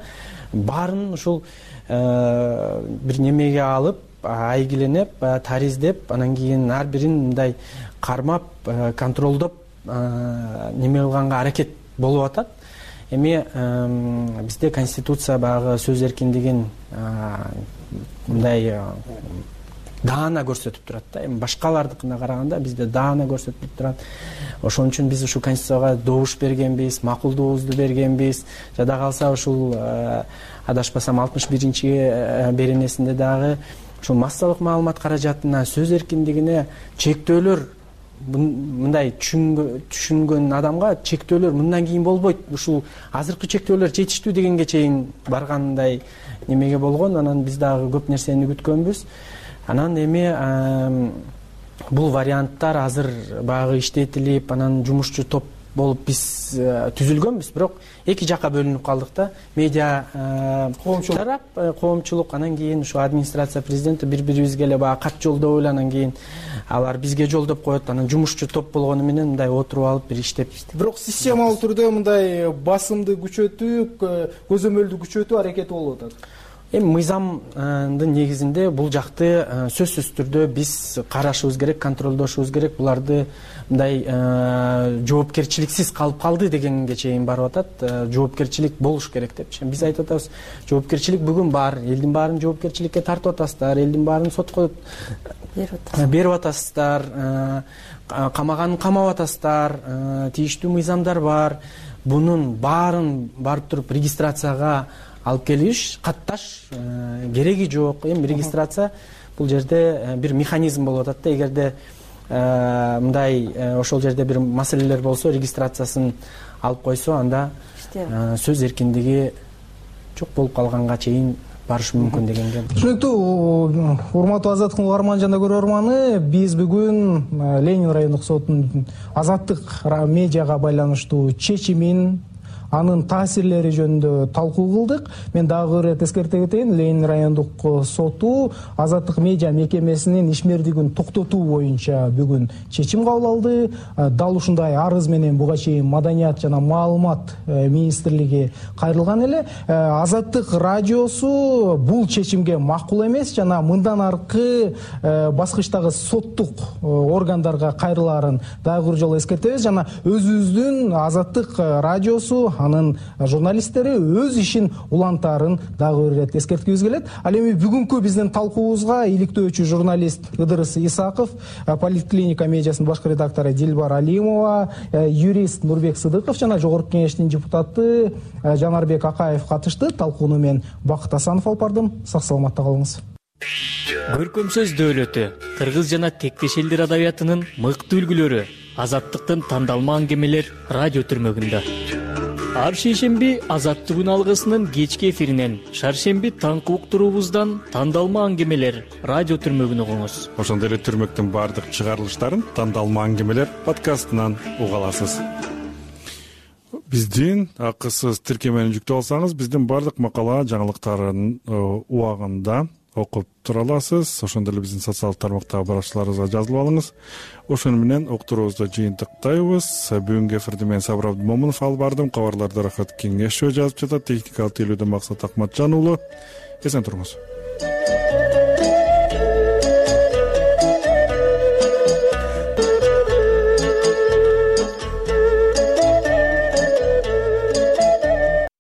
Speaker 7: Баарын ушул бир немеге алып, айгиленип, тариздеп, анан кийин ар бирин мындай кармап, контролдоп неме кылганга аракет болуп атат. Эми бизде конституция баягы сөз эркиндигин мындай даана көрсөтүп турат да. Эми башкалардыкына караганда бизде даана көрсөтүп турат. Ошон үчүн биз ушул конституцияга добуш бергенбиз, макулдугубузду бергенбиз. Жада калса ушул адашпасам 61-чи беренесинде дагы ушул массалык маалымат каражатына, сөз эркиндигине чектөөлөр мындай түшүнгөн адамга чектөөлөр мындан кийин болбойт, ушул азыркы чектөөлөр жетиштүү дегенге чейин баргандай немеге болгон. Анан биз дагы көп нерсени күткөнбүз. Анан эми бул варианттар азыр баягы иштетилип, анан жумушчу топ болуп биз түзүлгөнбүз, бирок эки жакка бөлүнүп калдык да. Медиа тарап, коомчулук, анан кийин ушу администрация президенти бири-бирибизге эле баягы кат жолдоп эле, анан кийин алар бизге жолдоп коет, анан жумушчу топ болгону менен мындай отуруп алып бир иштеп.
Speaker 2: Бирок системалуу түрдө мындай басымды күчөтүү, көзөмөлдү күчөтүү аракети болуп атат.
Speaker 7: Эми мыйзамдын негизинде бул жакты сөзсүз түрдө биз карашыбыз керек, контролдошубуз керек. Буларды мындай жоопкерчиликсиз калып калды дегенге чейин барып атат. Жоопкерчилик болуш керек депчи. Биз айтып атабыз, жоопкерчилик бүгүн бар, элдин баарын жоопкерчиликке тартып атасыздар, элдин баарын сотко берип атасыздар, камаганын камап атасыздар, тийиштүү мыйзамдар бар. Бунун баарын барып туруп регистрацияга алып келиш, катташ кереги жок. Эми регистрация бул жерде бир механизм болуп атат да. Эгерде мындай ошол жерде бир маселелер болсо, регистрациясын алып койсо, анда сөз эркиндиги жок болуп калганга чейин барышы мүмкүн дегенге.
Speaker 2: Түшүнүктүү. Урматтуу Азаттыктын угарман жана көрөрманы, биз бүгүн Ленин райондук сотунун азаттык медиага байланыштуу чечимин, анын таасирлери жөнүндө талкуу кылдык. Мен дагы бир ирет эскерте кетейин. Ленин райондук соту азаттык медиа мекемесинин ишмердигин токтотуу боюнча бүгүн чечим кабыл алды. Дал ушундай арыз менен буга чейин Маданият жана маалымат министрлиги кайрылган эле. Азаттык радиосу бул чечимге макул эмес жана мындан аркы баскычтагы соттук органдарга кайрылаарын дагы бир жолу эскертебиз. Жана өзүбүздүн Азаттык радиосу анын журналисттери өз ишин улантаарын дагы бир ирет эскерткибиз келет. Ал эми бүгүнкү биздин талкуубузга иликтөөчү журналист Ыдырыс Исаков, Политклиника медиасынын башкы редактору Дилбар Алимова, юрист Нурбек Сыдыков жана жогорку кеңештин депутаты Жанарбек Акаев катышты. Талкууну мен Бакыт Асанов алып бардым. Сак саламатта калыңыз.
Speaker 8: Көркөм сөз дөөлөтү кыргыз жана тектеш элдер адабиятынын мыкты үлгүлөрү, Азаттыктын тандалма аңгемелер радио түрмөгүндө. Ар шейшемби Азаттыгүн алгысынын кечки эфиринен, шаршемби таңкы уктуруубуздан тандалма аңгемелер радио түрмөгүн угуңуз.
Speaker 1: Ошондой эле түрмөктүн баардык чыгарылыштарын тандалма аңгемелер подкастынан уга аласыз. Биздин акысыз тиркемени жүктөп алсаңыз, биздин баардык макала жаңылыктарын убагында окуп тура аласыз. Ошондой эле биздин социалдык тармактагы баракчаларыбызга жазылып алыңыз. Ошону менен уктуруубузду жыйынтыктайбыз. Бүгүнкү эфирди мен Сабыр Абдымомунов алып бардым. Кабарларды Рахат Кеңешов жазып жатат. Техникалык тейлөөдө Максат Акматжан уулу. Эсен туруңуз.